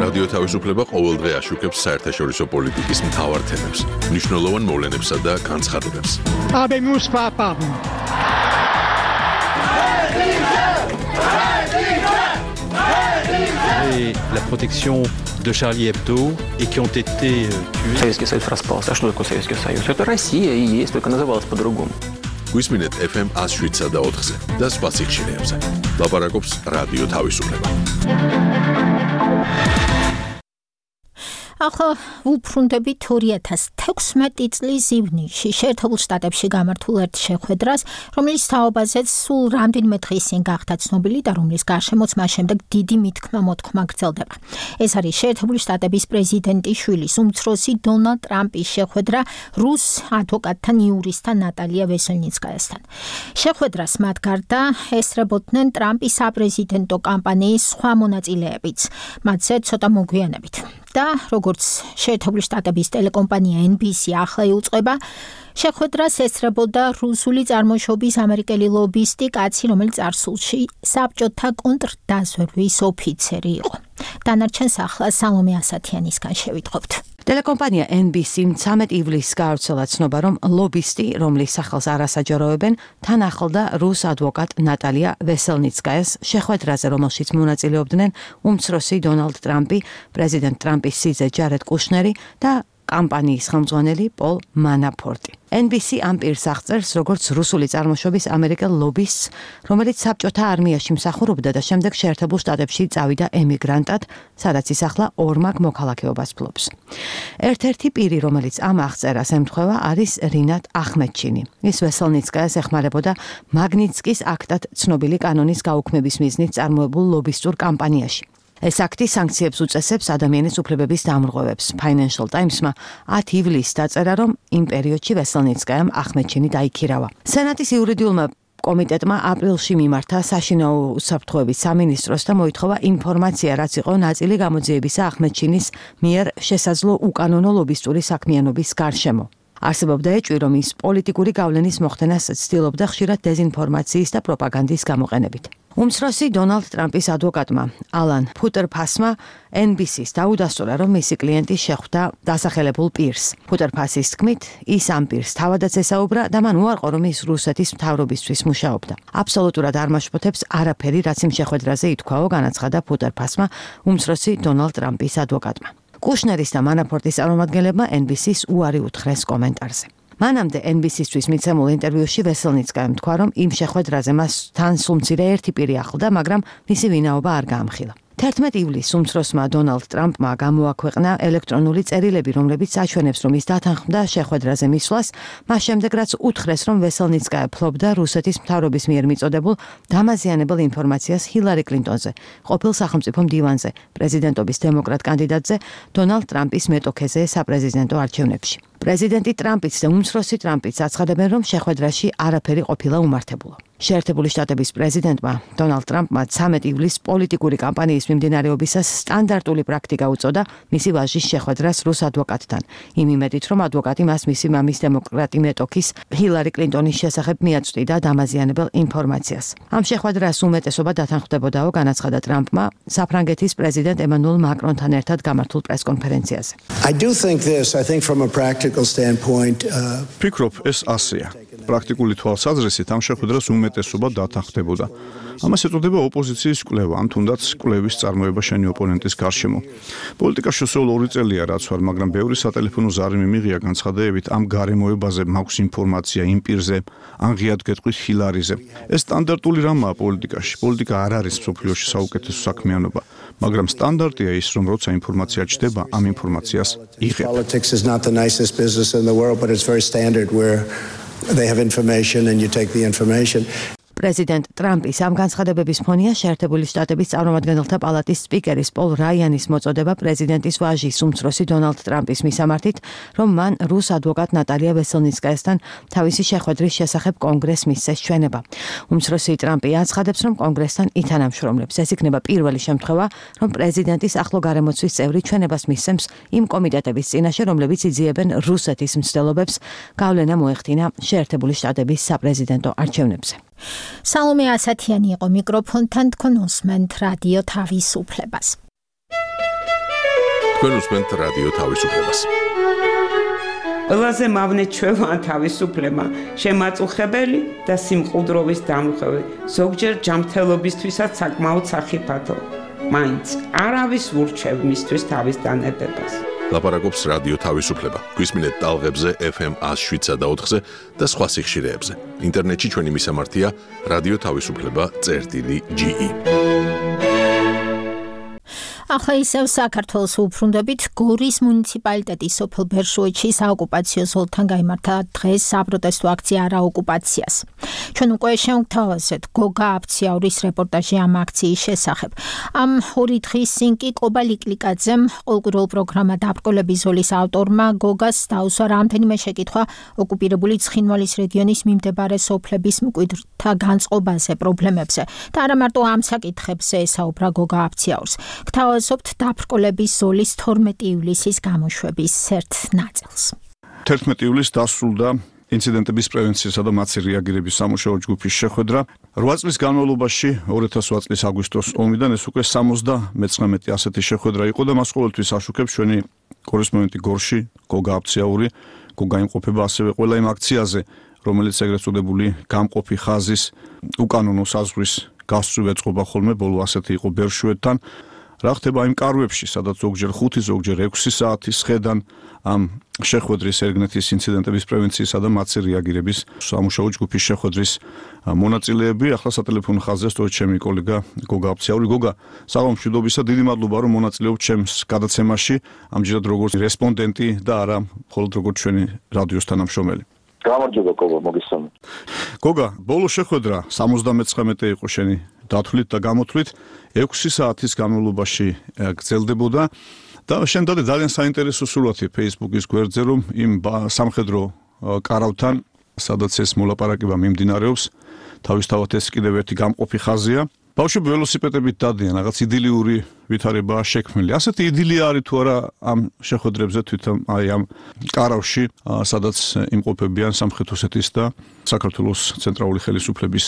რადიო თავისუფლება ყოველდღე აშუქებს საერთაშორისო პოლიტიკის მთავარ თემებს, მნიშვნელოვან მოვლენებსა და განცხადებებს. La protection de Charlie Hebdo et qui ont été tués. Советский Союз распался. А что такое Советский Союз? Это Россия и есть, только называлась по-другому. გვისმინეთ FM 107 და 4-ზე და სხვა სიხშირეებზე. ლაპარაკობს რადიო თავისუფლება. ახლა ვუბრუნდებით 2016 წლის ივნისში შეერთებულ შტატებში გამართულ ერთ შეხვედრას, რომელიც თაობაზეც სულ რამდენიმე დღის წინ გახდა ცნობილი და რომლის გარშემოც მას შემდეგ დიდი მითქმა-მოთქმა გრძელდება. ეს არის შეერთებული შტატების პრეზიდენტის შვილის უმცროსი დონალდ ტრამპის შეხვედრა რუს ადვოკატთან იურისტთან ნატალია ვესელნიცკაიასთან. შეხვედრას მათ გარდა ესწრებოდნენ ტრამპის საპრეზიდენტო კამპანიის სხვა მონაწილეებიც, მათზე ცოტა მოგვიანებით. და როგორც შეერთებული შტატების ტელეკომპანია NBC ახლა იუწყება, შეხვედრას ესწრებოდა რუსული წარმოშობის ამერიკელი ლობისტი კაცი, რომელიც წარსულში საბჭოთა კონტრდაზვერვის ოფიცერი იყო. დანარჩენს ახლა სალომე ასათიანისგან შევიტყობთ. ტელეკომპანია NBC-მ 13 ივლისს გაავრცელა ცნობა, რომ ლობისტი, რომლის სახელს არ ასაჯაროებენ, თან ახლდა რუს ადვოკატ ნატალია ვესელნიცკაიას შეხვედრაზე, რომელშიც მონაწილეობდნენ უმცროსი დონალდ ტრამპი, პრეზიდენტ ტრამპის სიძე ჯარედ კუშნერი და კამპანიის ხელმძღვანელი პოლ მანაფორტი. NBC ამ პირს აღწერს როგორც რუსული წარმოშობის ამერიკელ ლობისტს, რომელიც საბჭოთა არმიაში მსახურობდა და შემდეგ შეერთებულ შტატებში წავიდა ემიგრანტად, სადაც ის ახლა ორმაგ მოქალაქეობას ფლობს. ერთ-ერთი პირი, რომელიც ამ აღწერას ემთხვევა, არის რინატ ახმედჩინი. ის ვესელნიცკაიას ეხმარებოდა მაგნიტსკის აქტად ცნობილი კანონის გაუქმების მიზნით წარმოებულ ლობისტურ კამპანიაში. ეს აქტი სანქციებს უწესებს ადამიანის უფლებების დამრღვევებს. Financial Times-მა 10 ივლისს დაწერა, რომ იმ პერიოდში ვესელნიცკაიამ ახმედჩინი დაიქირავა. სენატის იურიდიულმა კომიტეტმა აპრილში მიმართა საშინაო უსაფრთხოების სამინისტროს და მოითხოვა ინფორმაცია, რაც იყო ნაწილი გამოძიებისა ახმედჩინის მიერ შესაძლო უკანონო ლობისტური საქმიანობის გარშემო. არსებობდა ეჭვი, რომ ის პოლიტიკური გავლენის მოხდენას ცდილობდა ხშირად დეზინფორმაციის და პროპაგანდის გამოყენებით. უმცროსი დონალდ ტრამპის ადვოკატმა ალან ფუტერფასმა NBC-ს დაუდასტურა, რომ მისი კლიენტი შეხვდა დასახელებულ პირს. ფუტერფასის თქმით, ის ამ პირს თავადაც ესაუბრა და მან უარყო, რომ ის რუსეთის მთავრობისთვის მუშაობდა. აბსოლუტურად არ მაშფოთებს არაფერი, რაც იმ შეხვედრაზე ითქვაო, განაცხადა ფუტერფასმა უმცროსი დონალდ ტრამპის ადვოკატმა. კუშნერის და მანაფორტის წარმომადგენლებმა NBC-ს უარი უთხრეს კომენტარზე. მანამდე NBC-ისთვის მიცემულ ინტერვიუში ვესელნიცკაიამ თქვა, რომ იმ შეხვედრაზე მას თან სულ მცირე ერთი პირი ახლდა, მაგრამ მისი ვინაობა არ გაამხილა. 11 ივლისს უმცროსმა დონალდ ტრამპმა გამოაქვეყნა ელექტრონული წერილები, რომლებიც აჩვენებს, რომ ის დათანხმდა შეხვედრაზე მისვლას, მას შემდეგ რაც უთხრეს, რომ ვესელნიცკაია ფლობდა რუსეთის მთავრობის მიერ მიწოდებულ დამაზიანებელ ინფორმაციას ჰილარი კლინტონზე, ყოფილ სახელმწიფო მდივანზე, პრეზიდენტობის დემოკრატ კანდიდატზე, დონალდ ტრამპის მეტოქეზე საპრეზიდენტო არჩევნებში. პრეზიდენტი ტრამპიც და უმცროსი ტრამპიც აცხადებენ, რომ შეხვედრაში არაფერი ყოფილა უმართებულა. შეერთებული შტატების პრეზიდენტმა დონალდ ტრამპმა 13 ივლისს პოლიტიკური კამპანიის მიმდინარეობისას სტანდარტული პრაქტიკა უწოდა მისი ვაჟის შეხვედრას რუს ადვოკატთან. იმ იმედით, რომ ადვოკატი მას მისი მამის დემოკრატი მეტოქის ჰილარი კლინტონის შესახებ მიაწვდიდა დამაზიანებელ ინფორმაციას. ამ შეხვედრას უმეტესობა დათანხმდებოდაო, განაცხადა ტრამპმა საფრანგეთის პრეზიდენტ ემანუელ მაკრონთან ერთად გამართულ პრესკონფერენციაზე. ფიქრობ, ეს ასეა. პრაქტიკული თვალსაზრისით ამ შეხვედრას უმეტესობა დათანხმდებოდა. ამას ეწოდება ოპოზიციის კვლევა, ან თუნდაც კვლევის წარმოება შენი ოპონენტის გარშემო. პოლიტიკაში სულ 2 წელია რაც ვარ, მაგრამ ბევრი სატელეფონო ზარი მიმიღია განცხადებებით ამ გარემოებაზე მაქვს ინფორმაცია იმ პირზე, ან ღიად გეტყვით ჰილარიზე. ეს სტანდარტული რამაა პოლიტიკაში. პოლიტიკა არ არის მსოფლიოში საუკეთესო საქმიანობა, მაგრამ სტანდარტია ის, რომ როცა ინფორმაცია ჩდება, ამ ინფორმაციას იღებ. They have information and you take the information. პრეზიდენტ ტრამპის ამ განცხადებების ფონია შეერთებული შტატების წარმომადგენელთა პალატის სპიკერის პოლ რაიანის მოწოდება პრეზიდენტის ვაჟის უმცროსი დონალდ ტრამპის მისამართით, რომ მან რუს ადვოკატ ნატალია ვესელნიცკაიასთან თავისი შეხვედრის შესახებ კონგრესს მისცეს ჩვენება. უმცროსი ტრამპი აცხადებს, რომ კონგრესთან ითანამშრომლებს. ეს იქნება პირველი შემთხვევა, რომ პრეზიდენტის ახლო გარემოცვის წევრი ჩვენებას მისცემს იმ კომიტეტების წინაშე, რომლებიც იძიებენ რუსეთის მცდელობებს გავლენა მოეხდინა შეერთებული შტატების საპრეზიდენტო არჩევნებზე. სალომე ასათიანი იყო მიკროფონთან, თქვენ უსმენთ რადიო თავისუფლებას. თქვენ უსმენთ რადიო თავისუფლებას. ყველაზე მავნე ჩვევა თავისუფლება, შემაწუხებელი და სიმყუდროვის დამრღვევი, ზოგჯერ ჯანმრთელობისთვისაც საკმაოდ სახიფათო. მაინც არავის ურჩევ მისთვის თავის დანებებას. ლაპარაკობს რადიო თავისუფლება. გვისმინეთ ტალღებზე FM 107.4-ზე და სხვა სიხშირეებზე. ინტერნეტში ჩვენი მისამართია რადიო თავისუფლება.ge. ახლა ისევ საქართველოს უბრუნდებით. გორის მუნიციპალიტეტის სოფელ ბერშუეთში საოკუპაციო ზოლთან გაიმართა დღეს საპროტესტო აქცია არაოკუპაციას. ჩვენ უკვე შევთავაზეთ გოგა აფციაურის რეპორტაჟი ამ აქციის შესახებ. ამ ორი დღის წინ კი კობა ლიკლიკაძემ ყოლკვირულ პროგრამა დაბრკოლების ზოლის ავტორმა გოგას დაუსვა რამდენიმე შეკითხვა ოკუპირებული ცხინვალის რეგიონის მიმდებარე სოფლების მკვიდრთა განწყობაზე, პრობლემებზე და არა მარტო ამ საკითხებზე ესაუბრა გოგა აფციაურს. გთავაზობთ დაბრკოლების ზოლის 12 ივლისის გამოშვების ერთ ნაწილს. 11 ივლისს დასრულდა ინციდენტების პრევენციისა და მათი რეაგირების სამუშაო ჯგუფის შეხვედრა. 8 წლის განმავლობაში 2008 წლის აგვისტოს ომიდან ეს უკვე 79 ასეთი შეხვედრა იყო და მას ყოველთვის აშუქებს ჩვენი კორესპონდენტი გორში, გოგა აფციაური. გოგა იმყოფება ასევე ყველა იმ აქციაზე, რომელიც ეგრეთ წოდებული გამყოფი ხაზის უკანონო საზღვრის გასწვრივ ეწყობა ხოლმე, ბოლო ასეთი იყო ბერშუეთთან. რა ხდება იმ კარვებში, სადაც ზოგჯერ 5, ზოგჯერ 6 საათის ხედან ამ შეხვედრის ერგნეთის ინციდენტების პრევენციისა და მათი რეაგირების სამუშაო ჯგუფის შეხვედრის მონაწილეები. ახლა სატელეფონო ხაზზე სწორედ ჩემი კოლეგა გოგა აფციაური. გოგა, საღამო მშვიდობისა, დიდი მადლობა რომ მონაწილეობთ ჩემს გადაცემაში, ამჯერად როგორც რესპონდენტი და არა მხოლოდ როგორც ჩვენი რადიოს თანამშრომელი. გამარჯობა გოგა, მოგესალმებით. გოგა, ბოლო შეხვედრა 79 იყო შენი დათვლით და გამოთვლით 6 საათის განმავლობაში გრძელდებოდა და შენ დადე ძალიან საინტერესო სურათი Facebook-ის გვერდზე, რომ იმ სამხედრო კარავთან, სადაც ეს მოლაპარაკება მიმდინარეობს, თავისთავად ეს კიდევ ერთი გამყოფი ხაზია. ბავშვები ველოსიპედებით დადიან, რაღაც იდილიური ვითარებაა შექმნილი. ასეთი იდილია არის თუ არა ამ შეხვედრებზე თვითონ აი ამ კარავში, სადაც იმყოფებიან სამხრეთ-ოსეთის და საქართველოს ცენტრალური ხელისუფლების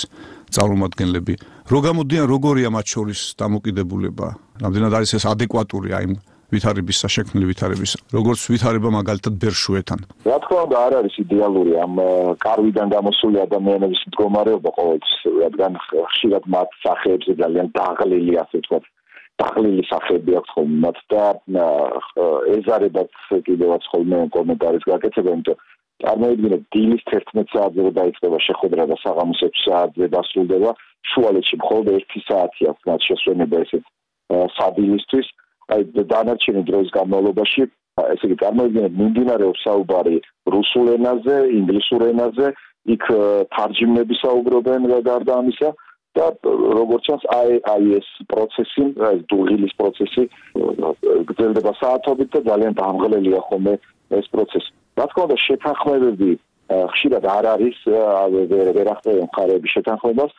წარმომადგენლები. რო გამოდიან, როგორია მათ შორის დამოკიდებულება? რამდენად არის ეს ადეკვატური აი ვითარების შექმნილი ვითარების, როგორც ვითარება მაგალითად ბერშუეთთან. რა თქმა უნდა, არ არის იდეალური ამ კარვიდან გამოსული ადამიანების მდგომარეობა ყოველთვის, რადგან ხშირად მათ სახეებზე ძალიან დაღლილი, ასე ვთქვათ, დაღლილი სახეები აქვს ხოლმე მათ და ეზარებათ კიდევაც ხოლმე კომენტარის გაკეთება, იმიტომ წარმოიდგინეთ, დილის 11 საათზე რო დაიწყება შეხვედრა და საღამოს 6 საათზე დასრულდება, შუალედში მხოლოდ 1 საათი აქვს მათ შესვენება ესეთ სადილისთვის. აი დანარჩენი დროის განმავლობაში, ესე იგი წარმოიდგინეთ, მიმდინარეობს საუბარი რუსულ ენაზე, ინგლისურ ენაზე, იქ თარჯიმნები საუბრობენ გარდა ამისა და როგორც ჩანს, აი ეს პროცესი, დუღილის პროცესი გრძელდება საათობით და ძალიან დამღლელია ხოლმე ეს პროცესი. რა თქმა უნდა, შეთანხმებები ხშირად არ არის, ვერ ახდენს მხარეების შეთანხმებას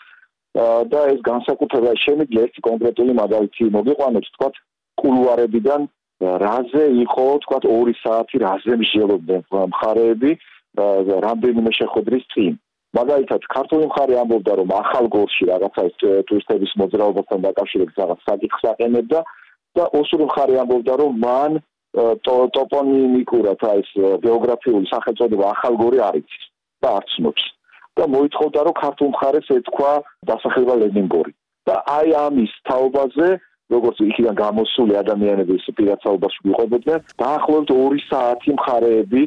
და ეს განსაკუთრებით შემიძლია ერთი კონკრეტული მაგალითი მოგიყვანოთ, თქვათ კულუარებიდან რაზე იყო, თქვათ 2 საათი რაზე მსჯელობდნენ მხარეები რამდენიმე შეხვედრის წინ. მაგალითად, ქართული მხარე ამბობდა, რომ ახალგორში რაღაცა ტურისტების მოძრაობასთან დაკავშირებით რაღაც საკითხს აყენებდა და ოსური მხარე ამბობდა, რომ მან ტოპონიმიკურად ეს გეოგრაფიული სახელწოდება ახალგორი არ იცის და არ ცნობს. და მოითხოვდა, რომ ქართულ მხარეს ეთქვა დასახლება ლენინგორი. და აი ამის თაობაზე როგორც იქიდან გამოსული ადამიანების პირადსაუბარში ვიყვებოდნენ, დაახლოებით 2 საათი მხარეები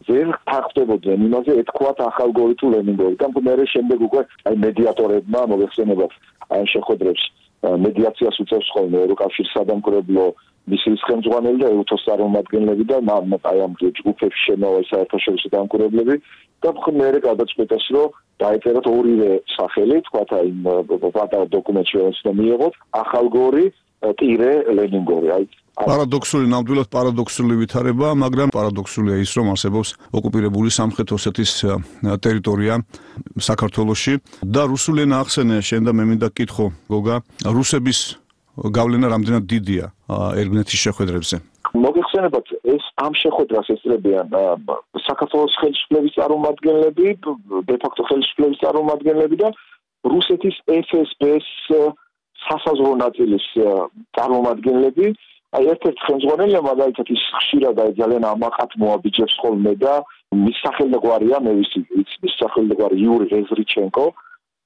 ვერ თანხმდებოდნენ იმაზე, ეთქვათ ახალგორი თუ ლენინგორი. და მერე შემდეგ უკვე აი მედიატორებმა მოიხსენებათ აი შეხვედრებს მედიაციას უწევს ხოლმე ევროკავშირის სადამკვირვებლო მისიის ხელმძღვანელი და ეუთოს წარმომადგენლები და აი ამ ჯგუფებში შემოვა საერთაშორისო დამკვირვებლები და მერე გადაწყვეტეს, რომ დაეწერათ ორივე სახელი, თქვათ აი პატარა დოკუმენტში რომელიც მიიღოთ, ახალგორი ტირე ლენინგორი. აი პარადოქსული, ნამდვილად პარადოქსული ვითარება, მაგრამ პარადოქსულია ის, რომ არსებობს ოკუპირებული სამხრეთ-ოსეთის ტერიტორია საქართველოში და რუსული ენა ახსენე, შენ და მე მინდა გკითხო, გოგა, რუსების გავლენა რამდენად დიდია ერგნეთის შეხვედრებზე? მოგეხსენებათ, ეს ამ შეხვედრას ესწრებიან საქართველოს ხელისუფლების წარმომადგენლები, დე-ფაქტო ხელისუფლების წარმომადგენლები და რუსეთის FSB-ს სასაზღვრო ნაწილის წარმომადგენლები, აი ერთ-ერთი ხელმძღვანელია მაგალითად ის ხშირად აი ძალიან ამაყად მოაბიჯებს ხოლმე და მის სახელმძღვანელია მე ვიცი მის სახელმძღვანელი იური რეზრიჩენკო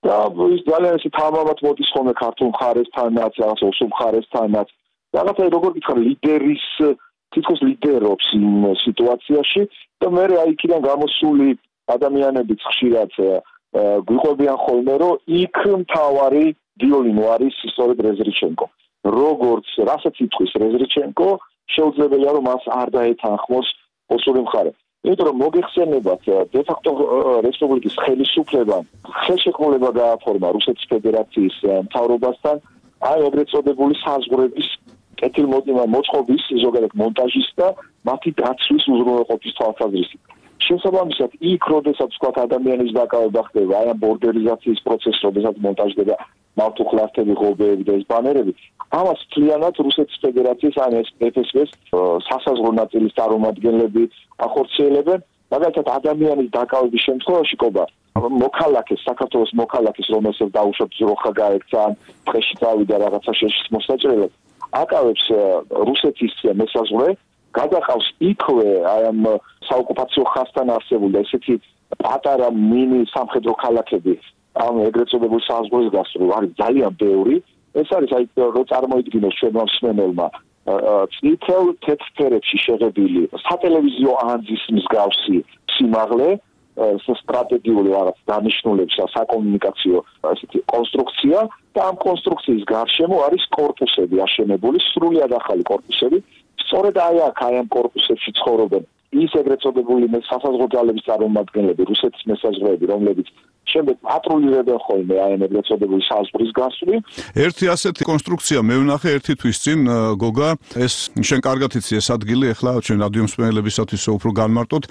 და ის ძალიან ისე თამამად მოდის ხოლმე ქართულ მხარესთანაც, რაღაც ოსურ მხარესთანაც. რაღაცა როგორ გითხრა ლიდერის თითქოს ლიდერობს იმ სიტუაციაში და მე აი იქიდან გამოსული ადამიანებიც ხშირად გვიყვებიან ხოლმე რომ იქ მთავარი ვიოლინო არის სწორედ რეზრიჩენკო. როგორც რასაც იტყვის რეზრიჩენკო, შეუძლებელია რომ მას არ დაეთანხმოს ოსური მხარე. იმიტომ რომ მოგეხსენებათ დე-ფაქტო რესპუბლიკის ხელისუფლებამ ხელშეკრულება გააფორმა რუსეთის ფედერაციის მთავრობასთან აი ეგრეთ წოდებული საზღვრების კეთილმოწყობის ზოგადად მონტაჟის და მათი დაცვის უზრუნველყოფის თვალსაზრისით. შესაბამისად, იქ როდესაც თქვა ადამიანის დაკავება ხდება, აი ამ ბორდერიზაციის პროცესი, როდესაც მონტაჟდება მავთუხლართები, ღობეები და ეს ბანერები, ამას მთლიანად რუსეთის ფედერაციის ან FSB-ს სასაზღვრო ნაწილის წარმომადგენლები ახორციელებენ. მაგალითად, ადამიანის დაკავების შემთხვევაში ყობა მოქალაქეს, საქართველოს მოქალაქეს, რომელსაც დაუშვათ ძროხა გაექცა, ტყეში წავიდა რაღაცა შეშლის მოსაჭრელად, აკავებს რუსეთის მესაზღვრე, გადაყავს იქვე აი ამ საოკუპაციო ხაზთან არსებული და ესეთი პატარა მინი სამხედრო ქალაქები ამ ეგრეთ წოდებული საზღვრის გასწვრივ არის ძალიან ბევრი. ეს არის აი რო წარმოიდგინოს ჩვენმა მსმენელმა წითელ თეთრ ფერებში შეღებილი სატელევიზიო ანძის მსგავსი სიმაღლე სტრატეგიული რაღაც დანიშნულების საკომუნიკაციო ესეთი კონსტრუქცია და ამ კონსტრუქციის გარშემო არის კორპუსები აშენებული, სრულიად ახალი კორპუსები. სწორედ აი აქ აი ამ კორპუსებში ცხოვრობენ ის ეგრეთ წოდებული სასაზღვრო ძალების წარმომადგენლები, რუსეთის მესაზღვრეები, რომლებიც შემდეგ პატრულირებენ ხოლმე აი ამ ეგრეთ წოდებული საზღვრის გასწვრივ. ერთი ასეთი კონსტრუქცია მე ვნახე ერთი თვის წინ გოგა, ეს შენ კარგად იცი ეს ადგილი, ახლა ჩვენ რადიო მსმენელებისათვის უფრო განმარტოთ.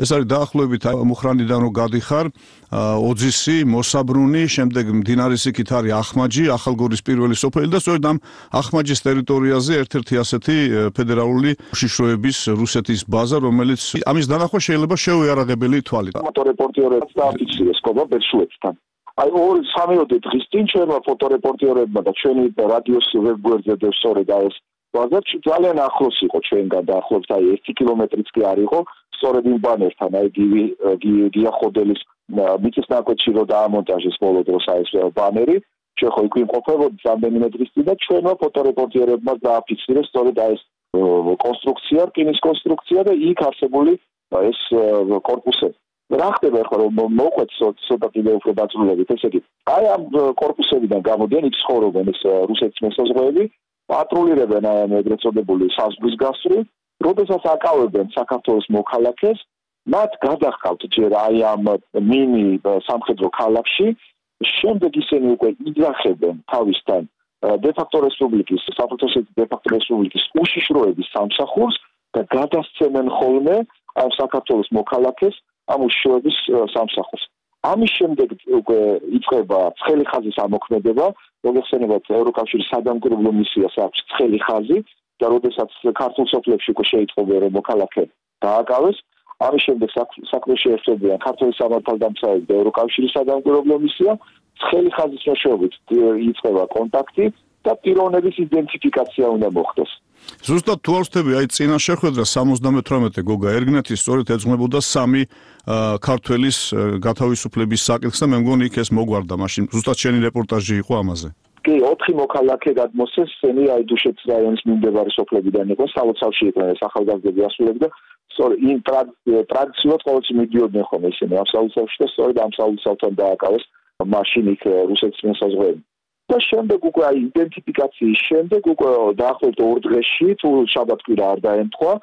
ეს არის დაახლოებით მუხრანიდან რო გადიხარ, ოძისი, მოსაბრუნი, შემდეგ მდინარის იქით არის ახმაჯი, ახალგორის პირველი სოფელი და სწორედ ამ ახმაჯის ტერიტორიაზე ერთ-ერთი ასეთი ფედერალური უშიშროების რუსეთის ბაზა, რომელიც ამის დანახვა შეიძლება შეუიარაღებელი ითვალოს. ფოტორეპორტიორებს დააფიქსირეს ყობა ბერშუეთთან. აი 2-3 დღის წინ ჩვენმა ფოტორეპორტიორებმა და ჩვენი რადიოს ვებგვერდზე და სწორედ ეს ბაზა ძალიან ახლოს იყო ჩვენგან და ახლოს აი 1 კილომეტრიც კი არ იყო სწორედ იმ ბანერთან აი გია ხოდელის მიწის ნაკვეთში რო დაამონტაჟეს ბოლო დროს აი ეს ბანერი ჩვენ ხო იქ ვიმყოფებოდით რამდენიმე დღის წინ და ჩვენმა ფოტორეპორტიორებმა დააფიქსირეს სწორედ აი ეს კონსტრუქცია, რკინის კონსტრუქცია და იქ არსებული ეს კორპუსები. რა ხდება ახლა რომ მოყვეთ ცოტა კიდევ უფრო დაწვრილებით, ესე იგი, აი ამ კორპუსებიდან გამოდიან იქ ცხოვრობენ ეს რუსეთის მესაზღვრეები, პატრულირებენ აი ამ ეგრეთ წოდებული საზღვრის გასწვრივ, როდესაც აკავებენ საქართველოს მოქალაქეს, მათ გადახავთ ჯერ აი ამ მინი სამხედრო ქალაქში, შემდეგ ისინი უკვე იძახებენ თავისთან დე-ფაქტო რესპუბლიკის, საფრთხეს დე-ფაქტო რესპუბლიკის უშიშროების სამსახურს და გადასცემენ ხოლმე ამ საქართველოს მოქალაქეს ამ უშიშროების სამსახურს. ამის შემდეგ უკვე იწყება ცხელი ხაზის ამოქმედება, მოგეხსენებათ ევროკავშირის სადამკვირვებლო მისიას აქვს ცხელი ხაზი და როდესაც ქართულ სოფლებში უკვე შეიტყობენ რომ მოქალაქე დააკავეს, ამის შემდეგ საქმეში ერთობიან ქართული სამართალდამცავები და ევროკავშირის სადამკვირვებლო მისია, ცხელი ხაზის მეშვეობით იწყება კონტაქტი და პიროვნების იდენტიფიკაცია უნდა მოხდეს. ზუსტად თუ არ ვთქვი, აი წინა შეხვედრა 78 გოგა ერგნეთის სწორედ ეძღვნებოდა 3 ქართველის გათავისუფლების საკითხს და მე მგონი იქ ეს მოგვარდა მაშინ. ზუსტად შენი რეპორტაჟი იყო ამაზე. კი, 4 მოქალაქე გადმოსცეს, ესენი აი დუშეთის რაიონის მიმდებარე სოფლებიდან იყო, სალოცავში იყვნენ ეს ახალგაზრდები ასულები და სწორედ იმ ტრადიციულად ყოველთვის მიდიოდნენ ხოლმე ისინი ამ სალოცავში და სწორედ ამ სალოცავთან დააკავეს მაშინ იქ რუსეთის მესაზღვრეები. და შემდეგ უკვე აი იდენტიფიკაციის შემდეგ უკვე დაახლოებით 2 დღეში თუ შაბათ-კვირა არ დაემთხვა,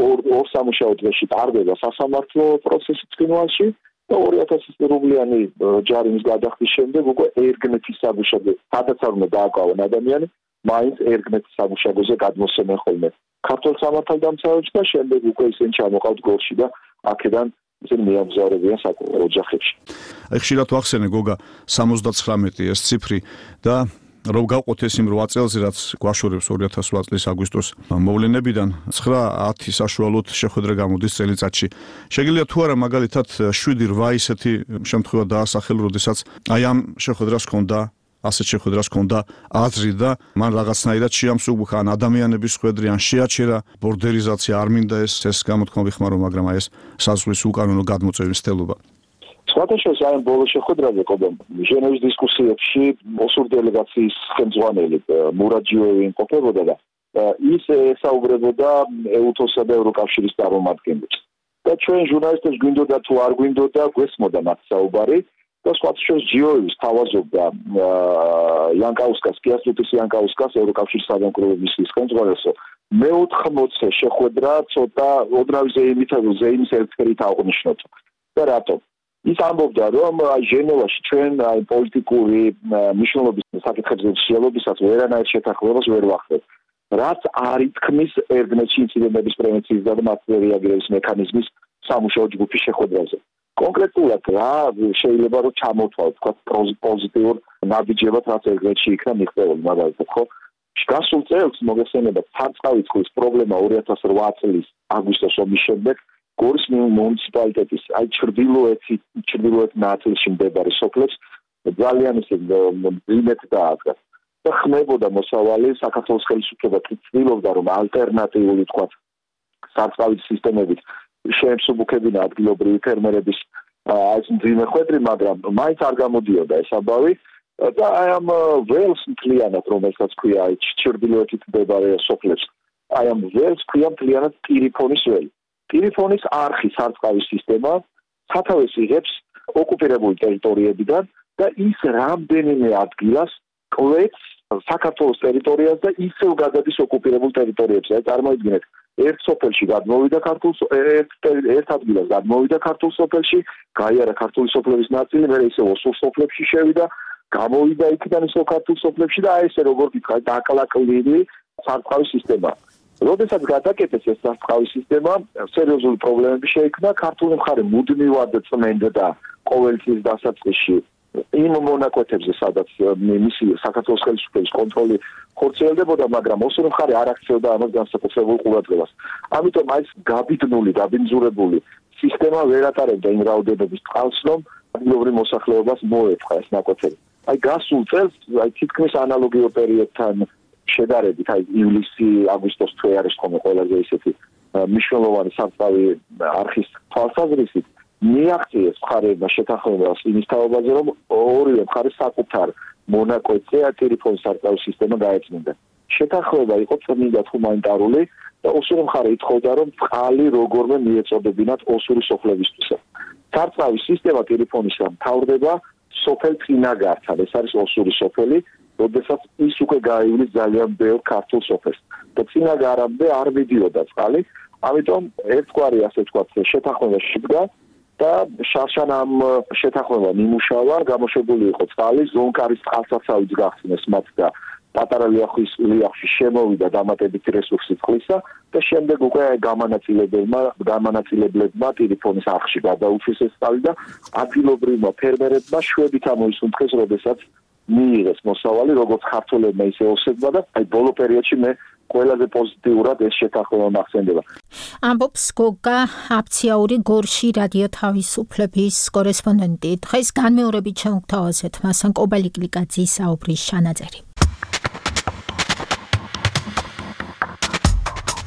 2 სამუშაო დღეში ტარდება სასამართლო პროცესი ცხინვალში და 2000 რუბლიანი ჯარიმის გადახდის შემდეგ უკვე ერგნეთის სამუშაოზე, სადაც არ უნდა დააკავონ ადამიანი, მაინც ერგნეთის სამუშაოზე გადმოსცემენ ხოლმე ქართულ სამართალდამცავებს და შემდეგ უკვე ისინი ჩამოყავთ გორში და აქედან ისინი მიამგზავრებიან საკუთარ ოჯახებში. აი ხშირად ვახსენე გოგა 79 ეს ციფრი და რომ გავყოთ ეს იმ 8 წელს რაც გვაშორებს 2008 წლის აგვისტოს მოვლენებიდან 9-10 საშუალოდ შეხვედრა გამოდის წელიწადში. შეგიძლია თუ არა მაგალითად 7-8 ისეთი შემთხვევა დაასახელო, როდესაც აი ამ შეხვედრას ჰქონდა ასეთ შეხვედრას ჰქონდა აზრი და მან რაღაცნაირად შეამსუბუქა ან ადამიანების ხვედრი ან შეაჩერა ბორდერიზაცია არ მინდა ეს გამოთქმა ვიხმარო, მაგრამ ეს საზღვრის უკანონო გადმოწევის სტელობა. სხვადასხვა აი ბოლო შეხვედრაზე ყობა ჟენევის დისკუსიებში ოსურ დელეგაციის ხელმძღვანელი მურაჯიოვი იმყოფებოდა და ის ესაუბრებოდა ეუთოსა და ევროკავშირის წარმომადგენლებს. და ჩვენ ჟურნალისტებს გვინდოდა თუ არ გვინდოდა გვესმოდა მათ საუბარი და სხვადასხვა ჯიოევის თავაზობდა იანკაუსკას, კიასტუტის იანკაუსკას ევროკავშირის სამეურნეო მისიის ხელმძღვანელს მე-80 შეხვედრა ცოტა ოდნავ ზეიმის ერთერით აღნიშნოთ. და რატომ? ის ამბობდა, რომ ჟენევაში ჩვენ პოლიტიკური მნიშვნელობის საკითხებზე შეალობისას ვერანაირ შეთანხმებას ვერ ვახდენთ. რაც არ ითქმის ერთმეტში ინციდენტების პრევენციის და მათზე რეაგირების მექანიზმის სამუშაო ჯგუფის შეხვედრაზე. კონკრეტულად რა შეიძლება რომ ჩამოთვალოთ, თქვა პოზიტიურ ნაბიჯებად რაც ერთმეტში იქნა მიღწეული, მაგალითად, ხო? გასულ წელს მოგესალმებათ სარწყავი წყლის პრობლემა 2008 წლის აგვისტოს ომის შემდეგ გორის მუნიციპალიტეტის აი ჩრდილოეთ ნაწილში მდებარე სოფლებს ძალიან ისე მძიმედ დაადგა. და ხმებოდა მოსავალი საქართველოს ხელისუფლება ცდილობდა რომ ალტერნატიული თქვა სარწყავით სისტემებით შეემსუბუქებინა ადგილობრივი ფერმერების ეს მძიმე ხვედრი, მაგრამ მაინც არ გამოდიოდა ეს ამბავი და აი ამ ველს მთლიანად რომელსაც ქვია აი ჩრდილოეთით მდებარე სოფლებს აი ამ ველს ქვია მთლიანად ტირიფონის ველი. ტირიფონის არხი სარწყავის სისტემა სათავეს იღებს ოკუპირებული ტერიტორიებიდან და ის რამდენიმე ადგილას კვეთს საქართველოს ტერიტორიას და ისევ გადადის ოკუპირებულ ტერიტორიებზე. აი წარმოიდგინეთ, ერთ სოფელში გადმოვიდა ერთ ადგილას გადმოვიდა ქართულ სოფელში, გაიარა ქართული სოფლების ნაწილი, მერე ისევ ოსურ სოფლებში შევიდა, გამოვიდა იქიდან ისევ ქართულ სოფლებში და აი ესე როგორ გითხარ, დაკლაკლილი სარწყავის სისტემა. როდესაც გადაკეთეს ეს სარწყავის სისტემა, სერიოზული პრობლემები შეიქმნა, ქართული მხარე მუდმივად წმენდა ყოველთვის დასაწყისში იმ მონაკვეთებზე, სადაც მისი საქართველოს ხელისუფლების კონტროლი ხორციელდებოდა, მაგრამ ოსური მხარე არ აქცევდა ამას განსაკუთრებულ ყურადღებას. ამიტომ აი ეს გაბინძურებული სისტემა ვერ ატარებდა იმ რაოდენობის წყალს, რომ ადგილობრივ მოსახლეობას მოეწყა ეს ნაკვეთები. აი გასულ წელს, აი თითქმის ანალოგიურ პერიოდთან შედარებით, აი ივლისი-აგვისტოს თვე არის ხოლმე ყველაზე ისეთი მნიშვნელოვანი სარწყავი არხის თვალსაზრისით მიაღწიეს მხარეებმა შეთანხმებას იმის თავაზე, რომ ორივე მხარეს საკუთარ მონაკვეთზე ტელეფონის სარწყავის სისტემა გაეწმინდა. შეთანხმება იყო წმინდა ჰუმანიტარული და ოსური მხარე ითხოვდა, რომ წყალი როგორმე მიეწოდებინათ ოსური სოფლებისთვის. სარწყავის სისტემა ტელეფონისა მთავრდება სოფელ წინაგართან, ეს არის ოსური სოფელი, როდესაც ის უკვე გაივლის ძალიან ბევრ ქართულ სოფელს. და წინაგარამდე არ მიდიოდა წყალი, ამიტომ ერთგვარი ასე ვთქვათ შეთანხმება შედგა და შარშან ამ შეთანხმებამ იმუშავა, გამოშვებული იყო წყალი, ზონკარის წყალსაცავიც გახსნეს მათ და პატარა ლიახში შემოვიდა დამატებითი რესურსი წყლისა და შემდეგ უკვე გამანაწილებლებმა ტელეფონის არხში გადაუშვეს ეს წყალი და ადგილობრივმა ფერმერებმა შვედით ამოისუნთქეს, როდესაც მიიღეს მოსავალი როგორც ქართველებმა ისე ოსებმა და აი ბოლო პერიოდში მე ყველაზე პოზიტიურად ეს შეთანხმება მახსენდება. ამბობს გოგა აფციაური გორში რადიო თავისუფლების კორესპონდენტი. დღეს განმეორებით შემოგთავაზეთ მასან კობალიკლიკაძის საუბრის ჩანაწერი.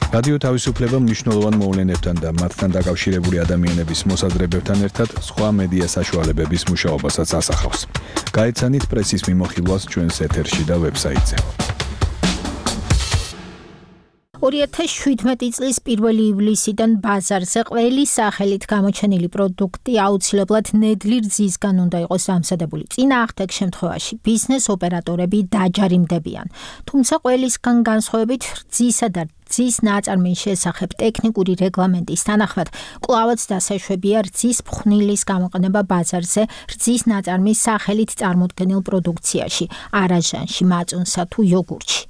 რადიო თავისუფლება მნიშვნელოვან მოვლენებთან და მათთან დაკავშირებული ადამიანების მოსაზრებებთან ერთად სხვა მედია საშუალებების მუშაობასაც ასახავს. გაეცანით პრესის მიმოხილვას ჩვენს ეთერში და ვებსაიტზე. 2017 წლის 1 ივლისიდან ბაზარზე ყველი სახელით გამოჩენილი პროდუქტი აუცილებლად ნედლი რძისგან უნდა იყოს დამზადებული. წინააღმდეგ შემთხვევაში ბიზნეს ოპერატორები დაჯარიმდებიან. თუმცა ყველისგან განსხვავებით რძისა და რძის ნაწარმის შესახებ ტექნიკური რეგლამენტის თანახმად კვლავაც დასაშვებია რძის ფხვნილის გამოყენება ბაზარზე რძის ნაწარმის სახელით წარმოდგენილ პროდუქციაში, არაჟანში, მაწუნსა თუ იოგურტში.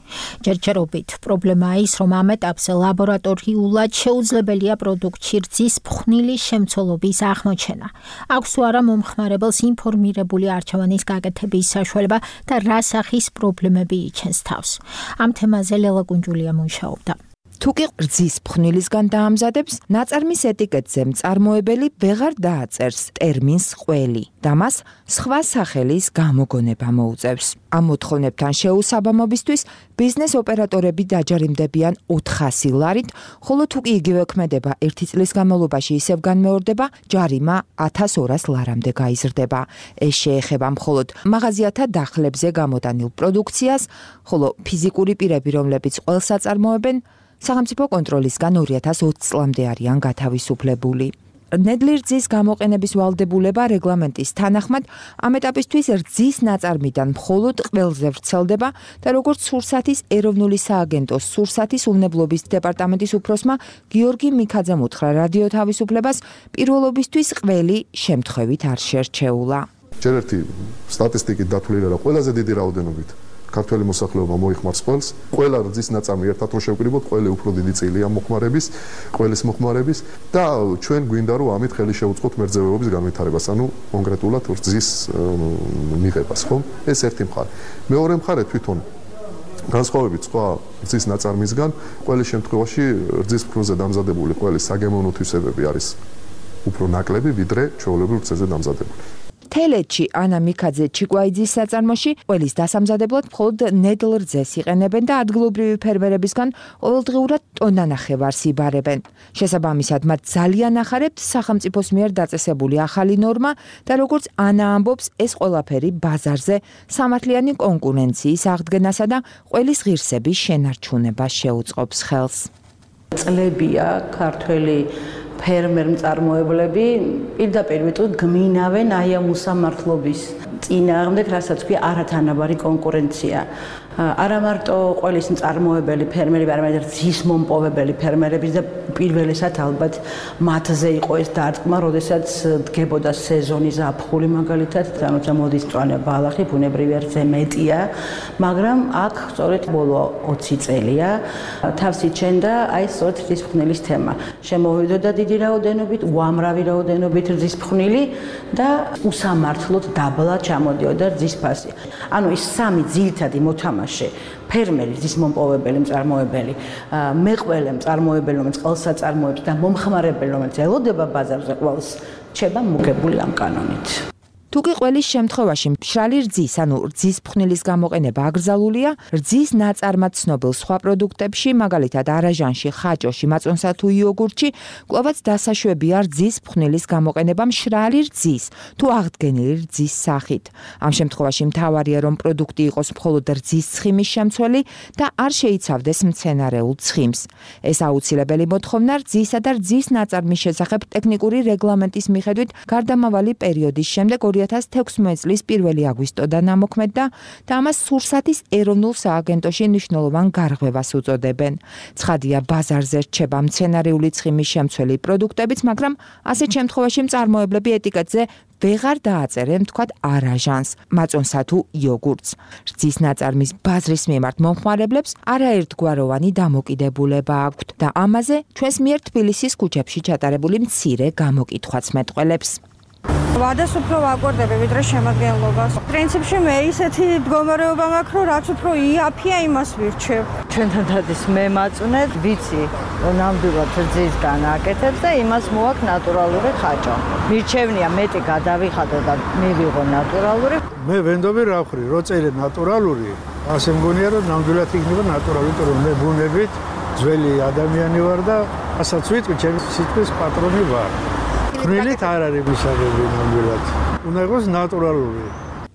ჯერჯერობით პრობლემაა ის, რომ ამ ეტაპზე ლაბორატორიულად შეუძლებელია პროდუქტში რძის ფხვნილის შემცველობის აღმოჩენა. აქვს თუ არა მომხმარებელს ინფორმირებული არჩევანის გაკეთების საშუალება და რა სახის პრობლემები იჩენს თავს. ამ თემაზე ლელა კუნჯულია მუშაობდა. თუ კი რძის ფხვნილისგან დაამზადებს, ნაწარმის ეტიკეტზე მწარმოებელი ვეღარ დააწერს ტერმინს ყველი და მას სხვა სახელის გამოგონება მოუწევს. ამ მოთხოვნებთან შეუსაბამობისთვის ბიზნეს ოპერატორები დაჯარიმდებიან 400 ლარით, ხოლო თუ კი იგივე ქმედება 1 წლის განმავლობაში ისევ განმეორდება, ჯარიმა 1200 ლარამდე გაიზრდება. ეს შეეხება მხოლოდ მაღაზიათა დახლებზე გამოტანილ პროდუქციას, ხოლო ფიზიკური პირები, რომლებიც ყველს აწარმოებენ, სახელმწიფო კონტროლისგან 2020 წლამდე არიან გათავისუფლებული. ნედლი რძის გამოყენების ვალდებულება რეგლამენტის თანახმად ამ ეტაპისთვის რძის ნაწარმიდან მხოლოდ ყველზე ვრცელდება და როგორც სურსათის ეროვნული სააგენტოს სურსათის უნებლობის დეპარტამენტის უფროსმა გიორგი მიქაძემ უთხრა რადიო თავისუფლებას, პირველობისთვის ყველი შემთხვევით არ შერჩეულა. ჯერ ერთი სტატისტიკით დათვლილი რა ყველაზე დიდი რაოდენობით ქართველი მოსახლეობა მოიხმარს ყველს, ყველა რძის ნაწარმი ერთად რო შევკრიბოთ, ყველი უფრო დიდი წილია მოხმარების, ყველის მოხმარების და ჩვენ გვინდა რომ ამით ხელი შევუწყოთ მერძევეობის განვითარებას, ანუ კონკრეტულად რძის მიღებას, ხო? ეს ერთი მხარე. მეორე მხარე თვითონ განსხვავებით სხვა რძის ნაწარმისგან, ყველის შემთხვევაში რძის ფქვილზე დამზადებული ყველის საგემოვნო თვისებები არის უფრო ნაკლები, ვიდრე ჩვეულებრივ რძეზე დამზადებული. თელეთში ანა მიქაძე ჩიკვაიძის საწარმოში ყველის დასამზადებლად მხოლოდ ნედლ რძეს იყენებენ და ადგილობრივი ფერმერებისგან ყოველდღიურად ტონანახევარს იბარებენ. შესაბამისად, მათ ძალიან ახარებთ სახელმწიფოს მიერ დაწესებული ახალი ნორმა და როგორც ანა ამბობს, ეს ყველაფერი ბაზარზე სამართლიანი კონკურენციის აღდგენასა და ყველის ღირსების შენარჩუნებას შეუწყობს ხელს. წლებია ქართველი ფერმერ მწარმოებლები პირდაპირ ვიტყვი გმინავენ აი ამ უსამართლობის წინააღმდეგ, რასაც ქვია არათანაბარი კონკურენცია. არა მარტო ყველის მწარმოებელი ფერმერები, არამედ რძის მომპოვებელი ფერმერების და პირველესად ალბათ მათზე იყო ეს დარტყმა, როდესაც დგებოდა სეზონის ზაფხული მაგალითად, როცა მოდის მწვანე ბალახი, ბუნებრივი ერთზე მეტია, მაგრამ აქ სწორედ ბოლო 20 წელია თავს იჩენდა აი სწორედ რძის ფხვნილის თემა. შემოვიდოდა დიდი რაოდენობით, უამრავი რაოდენობით რძის ფხვნილი და უსამართლოდ დაბლა ჩამოდიოდა რძის ფასი. ანუ ის სამი ძირითადი მოთამაშე ფერმერი, რძის მომპოვებელი, მწარმოებელი, მეყველე მწარმოებელი, რომელიც ყველს აწარმოებს და მომხმარებელი, რომელიც ელოდება ბაზარზე ყველს, რჩება მოგებული ამ კანონით. თუ კი ყველის შემთხვევაში მშრალი რძის, ანუ რძის ფხვნილის გამოყენება აკრძალულია, რძის ნაწარმად ცნობილ სხვა პროდუქტებში, მაგალითად არაჟანში, ხაჭოში, მაწონსა თუ იოგურტში, კვლავაც დასაშვებია რძის ფხვნილის გამოყენება მშრალი რძის, თუ აღდგენილი რძის სახით. ამ შემთხვევაში მთავარია, რომ პროდუქტი იყოს მხოლოდ რძის ცხიმის შემცველი და არ შეიცავდეს მცენარეულ ცხიმს. ეს აუცილებელი მოთხოვნა რძისა და რძის ნაწარმის შესახებ ტექნიკური რეგლამენტის მიხედვით გარდამავალი პერიოდის შემდეგ 2016 წლის 1 აგვისტოდან ამოქმედდა და ამას სურსათის ეროვნულ სააგენტოში მნიშვნელოვან გარღვევას უწოდებენ. ცხადია, ბაზარზე რჩება მცენარეული ცხიმის შემცველი პროდუქტებიც, მაგრამ ასეთ შემთხვევაში მწარმოებლები ეტიკეტზე ვეღარ დააწერენ თქვათ არაჟანს, მაწონსა თუ იოგურტს. რძის ნაწარმის ბაზრის მიმართ მომხმარებლებს არაერთგვაროვანი დამოკიდებულება აქვთ და ამაზე ჩვენს მიერ თბილისის ქუჩებში ჩატარებული მცირე გამოკითხვაც მეტყველებს. ვადას უფრო ვაკვირდები ვიდრე შემადგენლობას. პრინციპში მე ისეთი მდგომარეობა მაქვს, რომ რაც უფრო იაფია, იმას ვირჩევ. ჩვენთან დადის მე მაწუნეთ, ვიცი, რომ ნამდვილად რძისგან აკეთებ და იმას მოვაქ ნატურალური ხაჭო. მირჩევნია მეტი გადავიხადო და მივიღო ნატურალური. მე ვენდობი რა ვხრი, რო წერე ნატურალური, ასე მგონია რომ ნამდვილად იქნება ნატურალური, რომ მე ბუნებით ძველი ადამიანი ვარ და ასაც ვიტყვი, ჩემი სიტყვის პატრონი ვარ. ხვრილით არ არის მისაღები ნამდვილად. უნდა იყოს ნატურალური.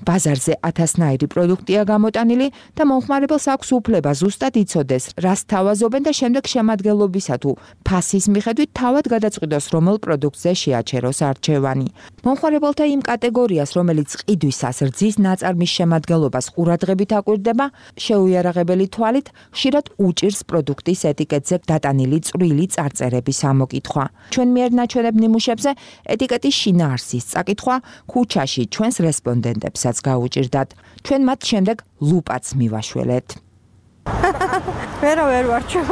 ბაზარზე 1000-ნაირი პროდუქტია გამოტანილი და მომხმარებელს აქვს უფლება ზუსტად იცოდეს, რას თავაზობენ და შემდეგ შემადგენლობისა თუ ფასის მიხედვით თავად გადაწყვიტოს, რომელ პროდუქტზე შეაჩეროს არჩევანი. მომხმარებელთა იმ კატეგორიას, რომელიც ყიდვისას რძის ნაწარმის შემადგენლობას ყურადღებით აკვირდება, შეუიარაღებელი თვალით ხშირად უჭირს პროდუქტის ეტიკეტზე დატანილი წვრილი წარწერების ამოკითხვა. ჩვენ მიერ ნაჩვენებ ნიმუშებზე ეტიკეტის შინაარსის წაკითხვა ქუჩაში ჩვენს რესპონდენტებს გაუჭირდათ. ჩვენ მათ შემდეგ ლუპაც მივაშველეთ. ვერა ვერ ვარჩევ.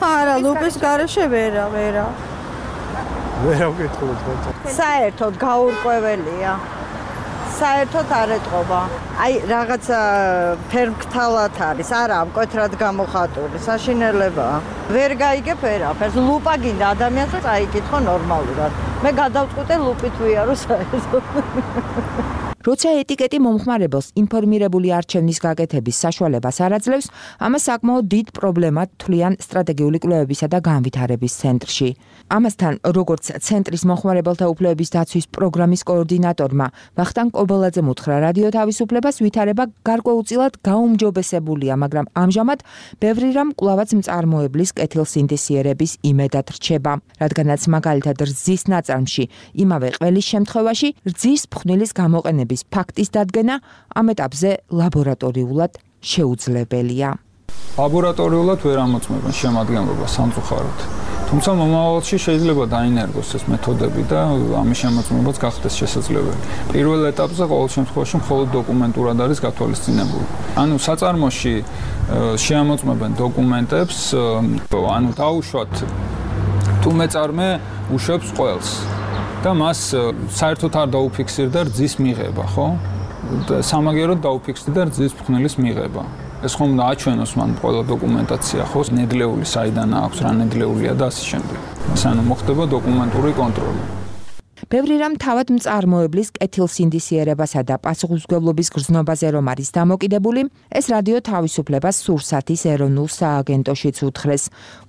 არა, ლუპის გარეშე ვერა. ვერა ვკითხულობ. საერთოდ გაურკვეველია. საერთოდ არ ეტყობა. აი რაღაც ფერმკთალად არის, არა, მკვეთრად გამოხატული, საშინელებაა. ვერ გაიგებ ვერაფერს. ლუპა გინდა ადამიანს და წაიკითხო ნორმალურად. მე გადავწყვიტე ლუპით ვიარო საერთოდ. როცა ეტიკეტი მომხმარებელს ინფორმირებული არჩევნის გაკეთების საშუალებას არ აძლევს, ამას საკმაოდ დიდ პრობლემად თვლიან სტრატეგიული კვლევებისა და განვითარების ცენტრში. ამასთან, როგორც ცენტრის მომხმარებელთა უფლებების დაცვის პროგრამის კოორდინატორმა ვახტანგ კობოლაძემ უთხრა, რადიო თავისუფლებას ვითარება გარკვეულწილად გაუმჯობესებულია, მაგრამ ამჟამად ბევრი რამ კვლავაც მწარმოებლის კეთილსინთეზიერების იმედად რჩება, რადგანაც მაგალითად რძის ნაწარმში იმავე ყველის შემთხვევაში რძის ფხვნილის გამოყენების ფაქტის დადგენა ამ ეტაპზე ლაბორატორიულად შეუძლებელია. ლაბორატორიულად ვერ ამოწმებენ შემადგენლობას სამწუხაროდ. თუმცა მომავალში შეიძლება დაინერგოს ეს მეთოდები და ამის შემოწმებაც გახდეს შესაძლებელი. პირველ ეტაპზე ყოველ შემთხვევაში მხოლოდ დოკუმენტურად არის გათვალისწინებული. ანუ საწარმოში შეამოწმებენ დოკუმენტებს, ანუ დაუშვათ თუ მეწარმე უშვებს ყველს და მას საერთოდ არ დაუფიქსირდა რძის მიღება, ხო? სამაგეროდ დაუფიქსირდა რძის ფხვნილის მიღება. ეს ხომ დააჩვენოს მან ყველა დოკუმენტაცია, ხო? ნედლეული საიდან აქვს, რა ნედლეულია და ასე შემდეგ. ანუ მოხდება დოკუმენტური კონტროლი. ბევრი რამ თავად მწარმოებლის კეთილსინთეზიერებასა და პასუხისმგებლობის გრძნობაზე რომ არის დამოკიდებული, ეს რადიო თავისუფლებას სურსათის ეროვნულ სააგენტოშიც უთხრეს.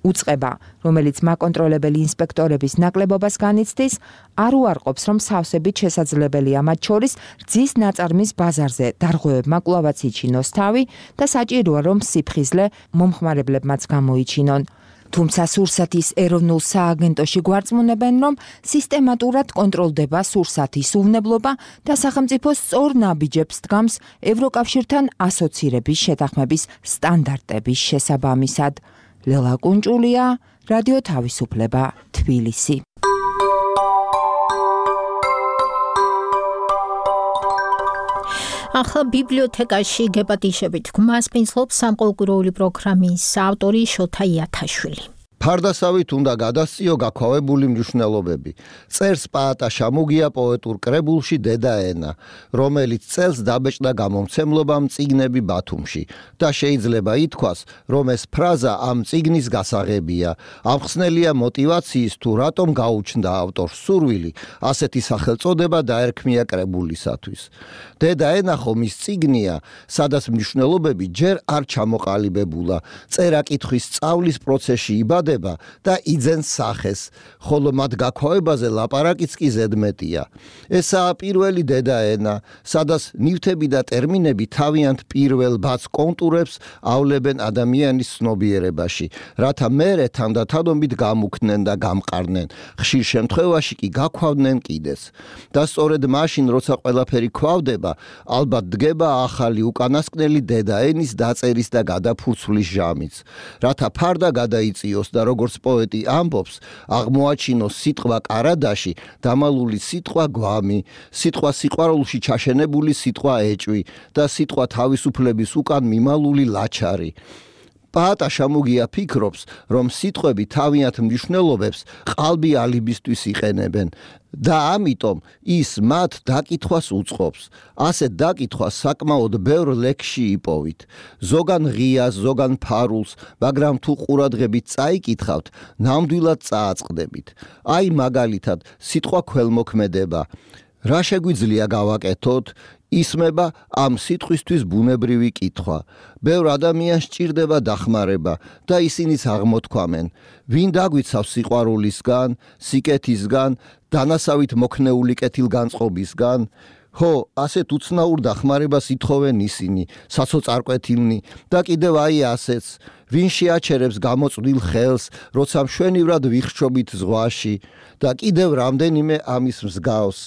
უწყება, რომელიც მაკონტროლებელი ინსპექტორების ნაკლებობას განიცდის, არ უარყოფს, რომ სავსებით შესაძლებელია მათ შორის რძის ნაწარმის ბაზარზე დარღვევებმა კვლავაც იჩინოს თავი და საჭიროა, რომ სიფხიზლე მომხმარებლებმაც გამოიჩინონ. თუმცა სურსათის ეროვნულ სააგენტოში გვარწმუნებენ, რომ სისტემატურად კონტროლდება სურსათის უვნებლობა და სახელმწიფო სწორ ნაბიჯებს დგამს ევროკავშირთან ასოცირების შეთანხმების სტანდარტების შესაბამისად. ლელა კუნჭულია, რადიო თავისუფლება, თბილისი. ახლა ბიბლიოთეკაში გეპატიშებით გმასპინძლობს სამყუროური პროგრამის ავტორი შოთა იათაშვილი. ფარდასავით უნდა გადასწიო გაქვავებული მნიშვნელობები. წერს პაატა შამუგია პოეტურ კრებულში დედაენა, რომელიც წელს დაბეჭდა გამომცემლობამ წიგნები ბათუმში და შეიძლება ითქვას, რომ ეს ფრაზა ამ წიგნის გასაღებია. ამხსნელია მოტივაციის თუ რატომ გაუჩნდა ავტორს სურვილი ასეთი სახელწოდება დაერქმია კრებულისათვის. დედაენა ხომ ის წიგნია, სადაც მნიშვნელობები ჯერ არ ჩამოყალიბებულა, წერა-კითხვის სწავლის პროცესში იბადება და იძენს სახეს, ხოლო მათ გაქვავებაზე ლაპარაკიც კი ზედმეტია. ესაა პირველი დედაენა, სადაც ნივთები და ტერმინები თავიანთ პირველ ბაც კონტურებს ავლებენ ადამიანის ცნობიერებაში, რათა მერე თანდათანობით გამუქდნენ და გამყარდნენ, ხშირ შემთხვევაში კი გაქვავდნენ კიდეს. და სწორედ მაშინ, როცა ყველაფერი ქვავდება, ალბათ დგება ახალი უკანასკნელი დედაენის დაწერის და გადაფურცვლის ჟამიც, რათა ფარდა გადაიწიოს და როგორც პოეტი ამბობს, აღმოაჩინოს სიტყვა კარადაში დამალული სიტყვა გვამი, სიტყვა სიყვარულში ჩაშენებული სიტყვა ეჭვი და სიტყვა თავისუფლების უკან მიმალული ლაჩარი. პაატა შამუგია ფიქრობს, რომ სიტყვები თავიანთ მნიშვნელობებს ყალბი ალიბისთვის იყენებენ და ამიტომ ის მათ დაკითხვას უწყობს. ასეთ დაკითხვას საკმაოდ ბევრ ლექსში იპოვით. ზოგან ღიას, ზოგან ფარულს, მაგრამ თუ ყურადღებით წაიკითხავთ, ნამდვილად წააწყდებით. აი მაგალითად, სიტყვა ქველმოქმედება. რა შეგვიძლია გავაკეთოთ? ისმება ამ სიტყვისთვის ბუნებრივი კითხვა. ბევრ ადამიანს სჭირდება დახმარება და ისინიც აღმოთქვამენ. ვინ დაგვიცავს სიყვარულისგან, სიკეთისგან, დანასავით მოქნეული კეთილგანწყობისგან? ხო, ასეთ უცნაურ დახმარებას ითხოვენ ისინი, საცოწარკვეთილნი და კიდევ აი ასეც. ვინ შეაჩერებს გამოწვდილ ხელს, როცა მშვენივრად ვიხრჩობით ზღვაში და კიდევ რამდენიმე ამის მსგავს.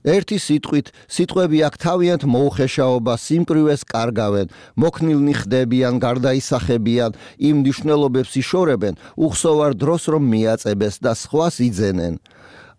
ერთი სიტყვით, სიტყვები აქ თავიანთ მოუხეშაობას, სიმკვრივეს კარგავენ, მოქნილნი ხდებიან, გარდაისახებიან, იმ მნიშვნელობებს იშორებენ, უხსოვარ დროს რომ მიაწებეს და სხვას იძენენ.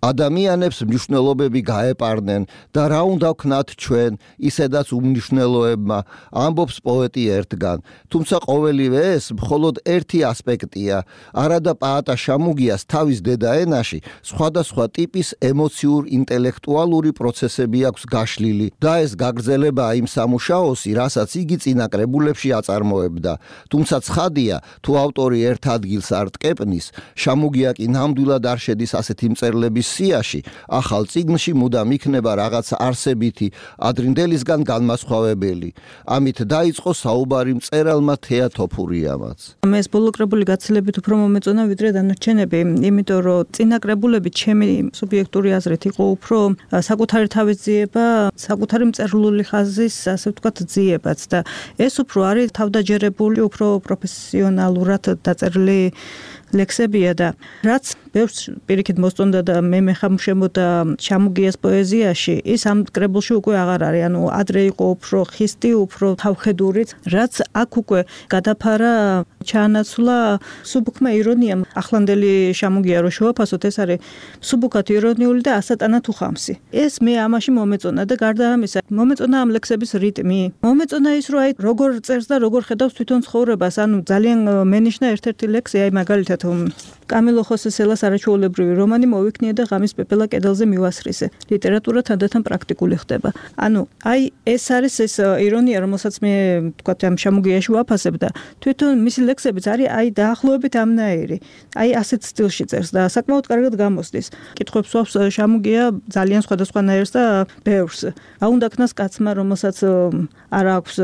ადამიანებს მნიშვნელობები გაეპარნენ და რა უნდა ვქნათ ჩვენ, ისედაც უმნიშვნელოებმა, ამბობს პოეტი ერთგან. თუმცა ყოველივე ეს მხოლოდ ერთი ასპექტია. არადა პაატა შამუგიას თავის დედაენაში სხვადასხვა ტიპის ემოციურ ინტელექტუალური პროცესები აქვს გაშლილი და ეს გაგრძელებაა იმ სამუშაოსი, რასაც იგი წინა კრებულებში აწარმოებდა. თუმცა ცხადია, თუ ავტორი ერთ ადგილს არ ტკეპნის, შამუგია კი ნამდვილად არ შედის ასეთი მწერლების სიაში, ახალ წიგნში მუდამ იქნება რაღაც არსებითი, ადრინდელისგან განმასხვავებელი. ამით დაიწყო საუბარი მწერალმა თეა თოფურიამაც. მე ეს ბოლო კრებული გაცილებით უფრო მომეწონა ვიდრე დანარჩენები, იმიტომ რომ წინა კრებულები ჩემი სუბიექტური აზრით იყო უფრო საკუთარი თავის ძიება, საკუთარი მწერლული ხაზის, ასე ვთქვათ, ძიებაც და ეს უფრო არის თავდაჯერებული, უფრო პროფესიონალურად დაწერილი ლექსებია და რაც ბევრს პირიქით მოსწონდა და მე მეხამშემოდა შამუგიას პოეზიაში, ის ამ კრებულში უკვე აღარ არის, ანუ ადრე იყო უფრო ხისტი, უფრო თავხედურიც, რაც აქ უკვე გადაფარა ჩაანაცვლა სუბუქმა ირონიამ. ახლანდელი შამუგია რო შევაფასოთ, ეს არის სუბუქად ირონიული და ასატანად უხამსი. ეს მე ამაში მომეწონა და გარდა ამისა, მომეწონა ამ ლექსების რიტმი. მომეწონა ის, რომ აი როგორ წერს და როგორ ხედავს თვითონ ცხოვრებას, ანუ ძალიან მენიშნა ერთ-ერთი ლექსი, აი მაგალითად კამილო ხოსე სელას არაჩვეულებრივი რომანი მოვიქნია და ღამის პეპელა კედელზე მივასხრისე. ლიტერატურა თანდათან პრაქტიკული ხდება. ანუ აი ეს არის ეს ირონია, რომელსაც მე ვთქვათ ამ შამუგიაში ვაფასებ და თვითონ მისი ლექსებიც არის აი დაახლოებით ამნაირი. აი ასეთ სტილში წერს და საკმაოდ კარგად გამოსდის. კითხვებს ვაქვს შამუგია ძალიან სხვადასხვანაირს და ბევრს. აუნდა ქნას კაცმა, რომელსაც არ აქვს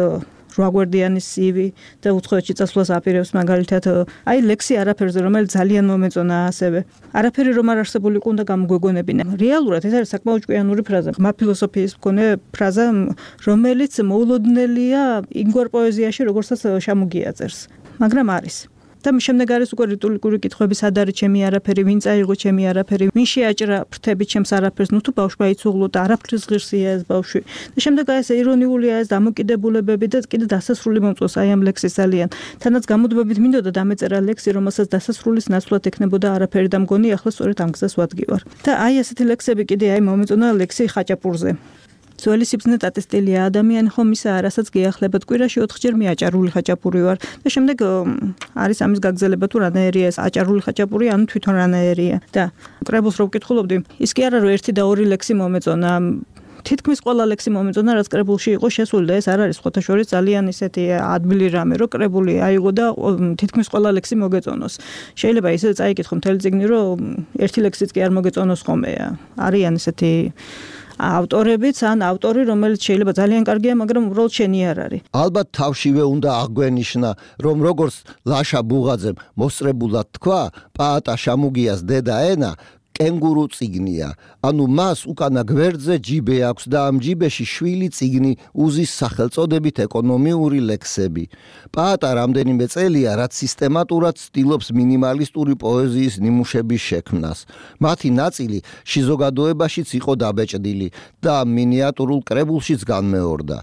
რვაგვერდიანის CV და უცხოეთში წასვლას აპირებს მაგალითად აი ლექსი არაფერზე, რომელიც ძალიან მომეწონა ასევე. არაფერი რომ არ არსებული ყუნდა გამოგვეგონებინა. რეალურად ეს არის საკმაოდ ჭკვიანური ფრაზა, ღრმა ფილოსოფიის მქონე ფრაზა, რომელიც მოულოდნელია იმგვარ პოეზიაში, როგორცაც შამუგია წერს. მაგრამ არის. და შემდეგ არის უკვე რიტულიკური კითხვები, სად არის ჩემი არაფერი, ვინ წაიღო ჩემი არაფერი, ვინ შეაჭრა ფრთები ჩემს არაფერს, ნუ თუ ბავშვმა იცუღლო და არაფრის ღირსია ეს ბავშვი. და შემდეგ არის ირონიულია ეს დამოკიდებულებები და კიდე დასასრული მომწონს აი ამ ლექსის ძალიან. თანაც გამოდბებით მინდოდა დამეწერა ლექსი, რომელსაც დასასრულის ნაცვლად ექნებოდა არაფერი და მგონი ახლა სწორედ ამ გზას ვადგივარ. და აი ასეთი ლექსები კიდე აი მომეწონა ლექსი ხაჭაპურზე. ძველი სიბრძნე ტატისტელია ადამიანი ხომ ისა რასაც გეახლებათ კვირაში 4-ჯერ მე აჭარული ხაჭაპური ვარ და შემდეგ არის ამის გაგრძელება თუ რანაირია ეს აჭარული ხაჭაპური ანუ თვითონ რანაირია და კრებულს რო ვკითხულობდი ის კი არა რომ 1 და 2 ლექსი მომეწონა თითქმის ყველა ლექსი მომეწონა რაც კრებულში იყო შესული და ეს არ არის ხოთა შორის ძალიან ისეთი ადმილი რამე რომ კრებული აიღო და თითქმის ყველა ლექსი მოგეწონოს შეიძლება ისე წაიკითხო მთელი წიგნი რომ ერთი ლექსიც კი არ მოგეწონოს ხომე არიან ისეთი ავტორებიც ან ავტორი რომელიც შეიძლება ძალიან კარგია მაგრამ უბრალოდ შენი არ არის ალბათ თავშივე უნდა აღვენიშნა რომ როგორც ლაშა ბუღაძემ მოსწრებულად თქვა პაატა შამუგიას დედა ენა კენგურუ წიგნია ანუ მას უკანა გვერდზე ჯიბე აქვს და ამ ჯიბეში შვილი წიგნი უზის სახელწოდებით ეკონომიური ლექსები პაატა რამდენიმე წელია რაც სისტემატურად ცდილობს მინიმალისტური პოეზიის ნიმუშების შექმნას მათი ნაწილი შიზოგადოებაშიც იყო დაბეჭდილი და მინიატურულ კრებულშიც განმეორდა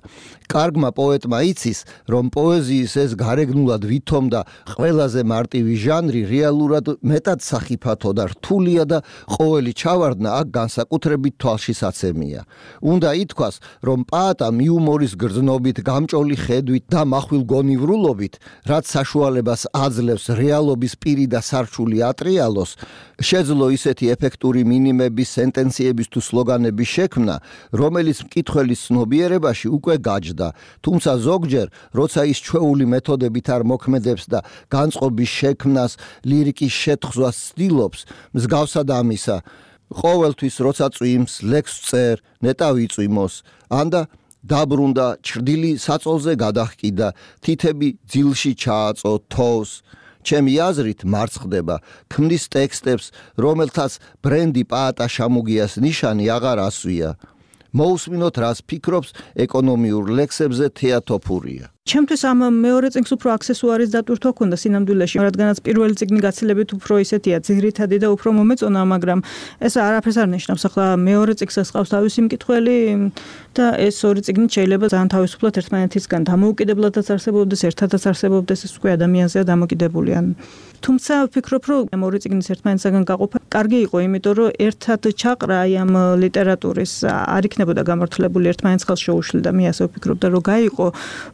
კარგმა პოეტმა იცის რომ პოეზიის ეს გარეგნულად ვითომ და ყველაზე მარტივი ჟანრი რეალურად მეტად სახიფათო და რთულია და ყოველი ჩავარდნა აქ განსაკუთრებით თვალშისაცემია. უნდა ითქვას, რომ პაატამ იუმორის გრძნობით, გამჭოლი ხედვით და מחვილ გონივრულობით, რაც საშუალებას აძლევს რეალობის პირი და სარჩული ატრიალოს, შეძლო ისეთი ეფექტური მინიმების, სენტენციების თუ სლოგანების შექმნა, რომელიც მკითხველის ცნობიერებაში უკვე გაჯდა. თუმცა ზოგჯერ, როცა ის ჩვეული მეთოდებით არ მოქმედებს და განწყობის შექმნას, ლირიკის შეთხზვას ცდილობს, მსგავსად ამისა, ყოველთვის როცა წვიმს, ლექსს წერ, ნეტავი წვიმოს, ანდა დაბრუნდა, ჩრდილი საწოლზე გადაჰკიდა, თითები ძილში ჩააწო, თოვს. ჩემი აზრით მარცხდება, ქმნის ტექსტებს, რომელთაც ბრენდი პაატა შამუგიას ნიშანი აღარ ასვია. მოусმინოთ რას ფიქრობს ეკონომიურ ლექსებზე თეა თოფურია. ჩემთვის ამ მეორე წიგნს უფრო აქსესუარის დატვირთვა ქონდა სინამდვილეში, რადგანაც პირველი წიგნი გაცილებით უფრო ისეთია ძირითადი და უფრო მომეწონა, მაგრამ ეს არაფერს არ ნიშნავს. ახლა მეორე წიგნსაც ყავს თავისი მკითხველი და ეს ორი წიგნი შეიძლება ძალიან თავისუფლად ერთმანეთისგან დამოუკიდებლადაც არსებობდეს, ერთადაც არსებობდეს, ეს უკვე ადამიანზეა დამოკიდებული. თუმცა ვფიქრობ, რომ ორი წიგნის ერთმანეთისგან გაყოფა კარგი იყო, იმიტომ რომ ერთად ჩაყრა აი ამ ლიტერატურის არ იქნებოდა გამართლებული ერთმანეთს ხელს შეუშლიდა. მე ასე ვფიქრობ და რომ გაიყო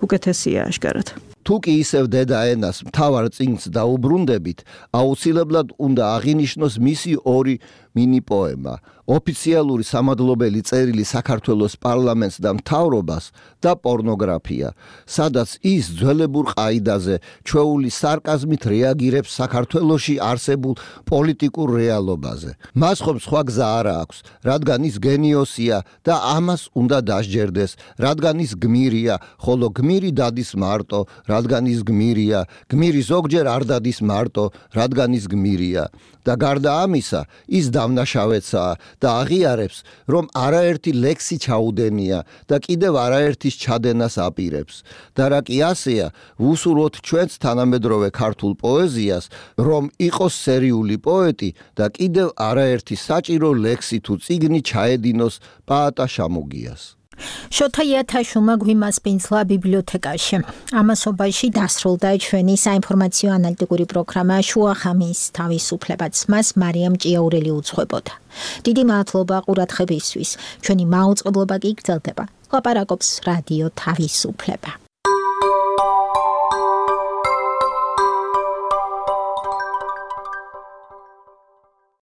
უკეთესია აშკარად. თუ კი ისევ დედა ენას მთავარ წიგნს დაუბრუნდებით, აუცილებლად უნდა აღინიშნოს მისი ორი მინი პოემა, ოფიციალური სამადლობელი წერილი საქართველოს პარლამენტს და მთავრობას და პორნოგრაფია, სადაც ის ძველებურ ყაიდაზე ჩვეული სარკაზმით რეაგირებს საქართველოში არსებულ პოლიტიკურ რეალობაზე. მას ხომ სხვა გზა არ აქვს, რადგან ის გენიოსია და ამას უნდა დასჯერდეს, რადგან ის გმირია, ხოლო გმირი დადის მარტო, რადგან ის გმირია, გმირი ზოგჯერ არ დადის მარტო, რადგან ის გმირია. და გარდა ამისა, ის დავნაშავეცაა და აღიარებს, რომ არაერთი ლექსი ჩაუდენია და კიდევ არაერთის ჩადენას აპირებს. და რა კი ასეა, ვუსურვოთ ჩვენს თანამედროვე ქართულ პოეზიას, რომ იყოს სერიული პოეტი და კიდევ არაერთი საჭირო ლექსი თუ წიგნი ჩაედინოს პაატა შამუგიას. შოთა იათაშვილმა გვიმასპინძლა ბიბლიოთეკაში. ამასობაში დასრულდა ჩვენი საინფორმაციო ანალიტიკური პროგრამა შუახამის თავისუფლებაც. მას მარიამ ჭიაურელი უძღვებოდა. დიდი მადლობა ყურადღებისთვის. ჩვენი მაუწყებლობა კი გრძელდება. ლაპარაკობს რადიო თავისუფლება.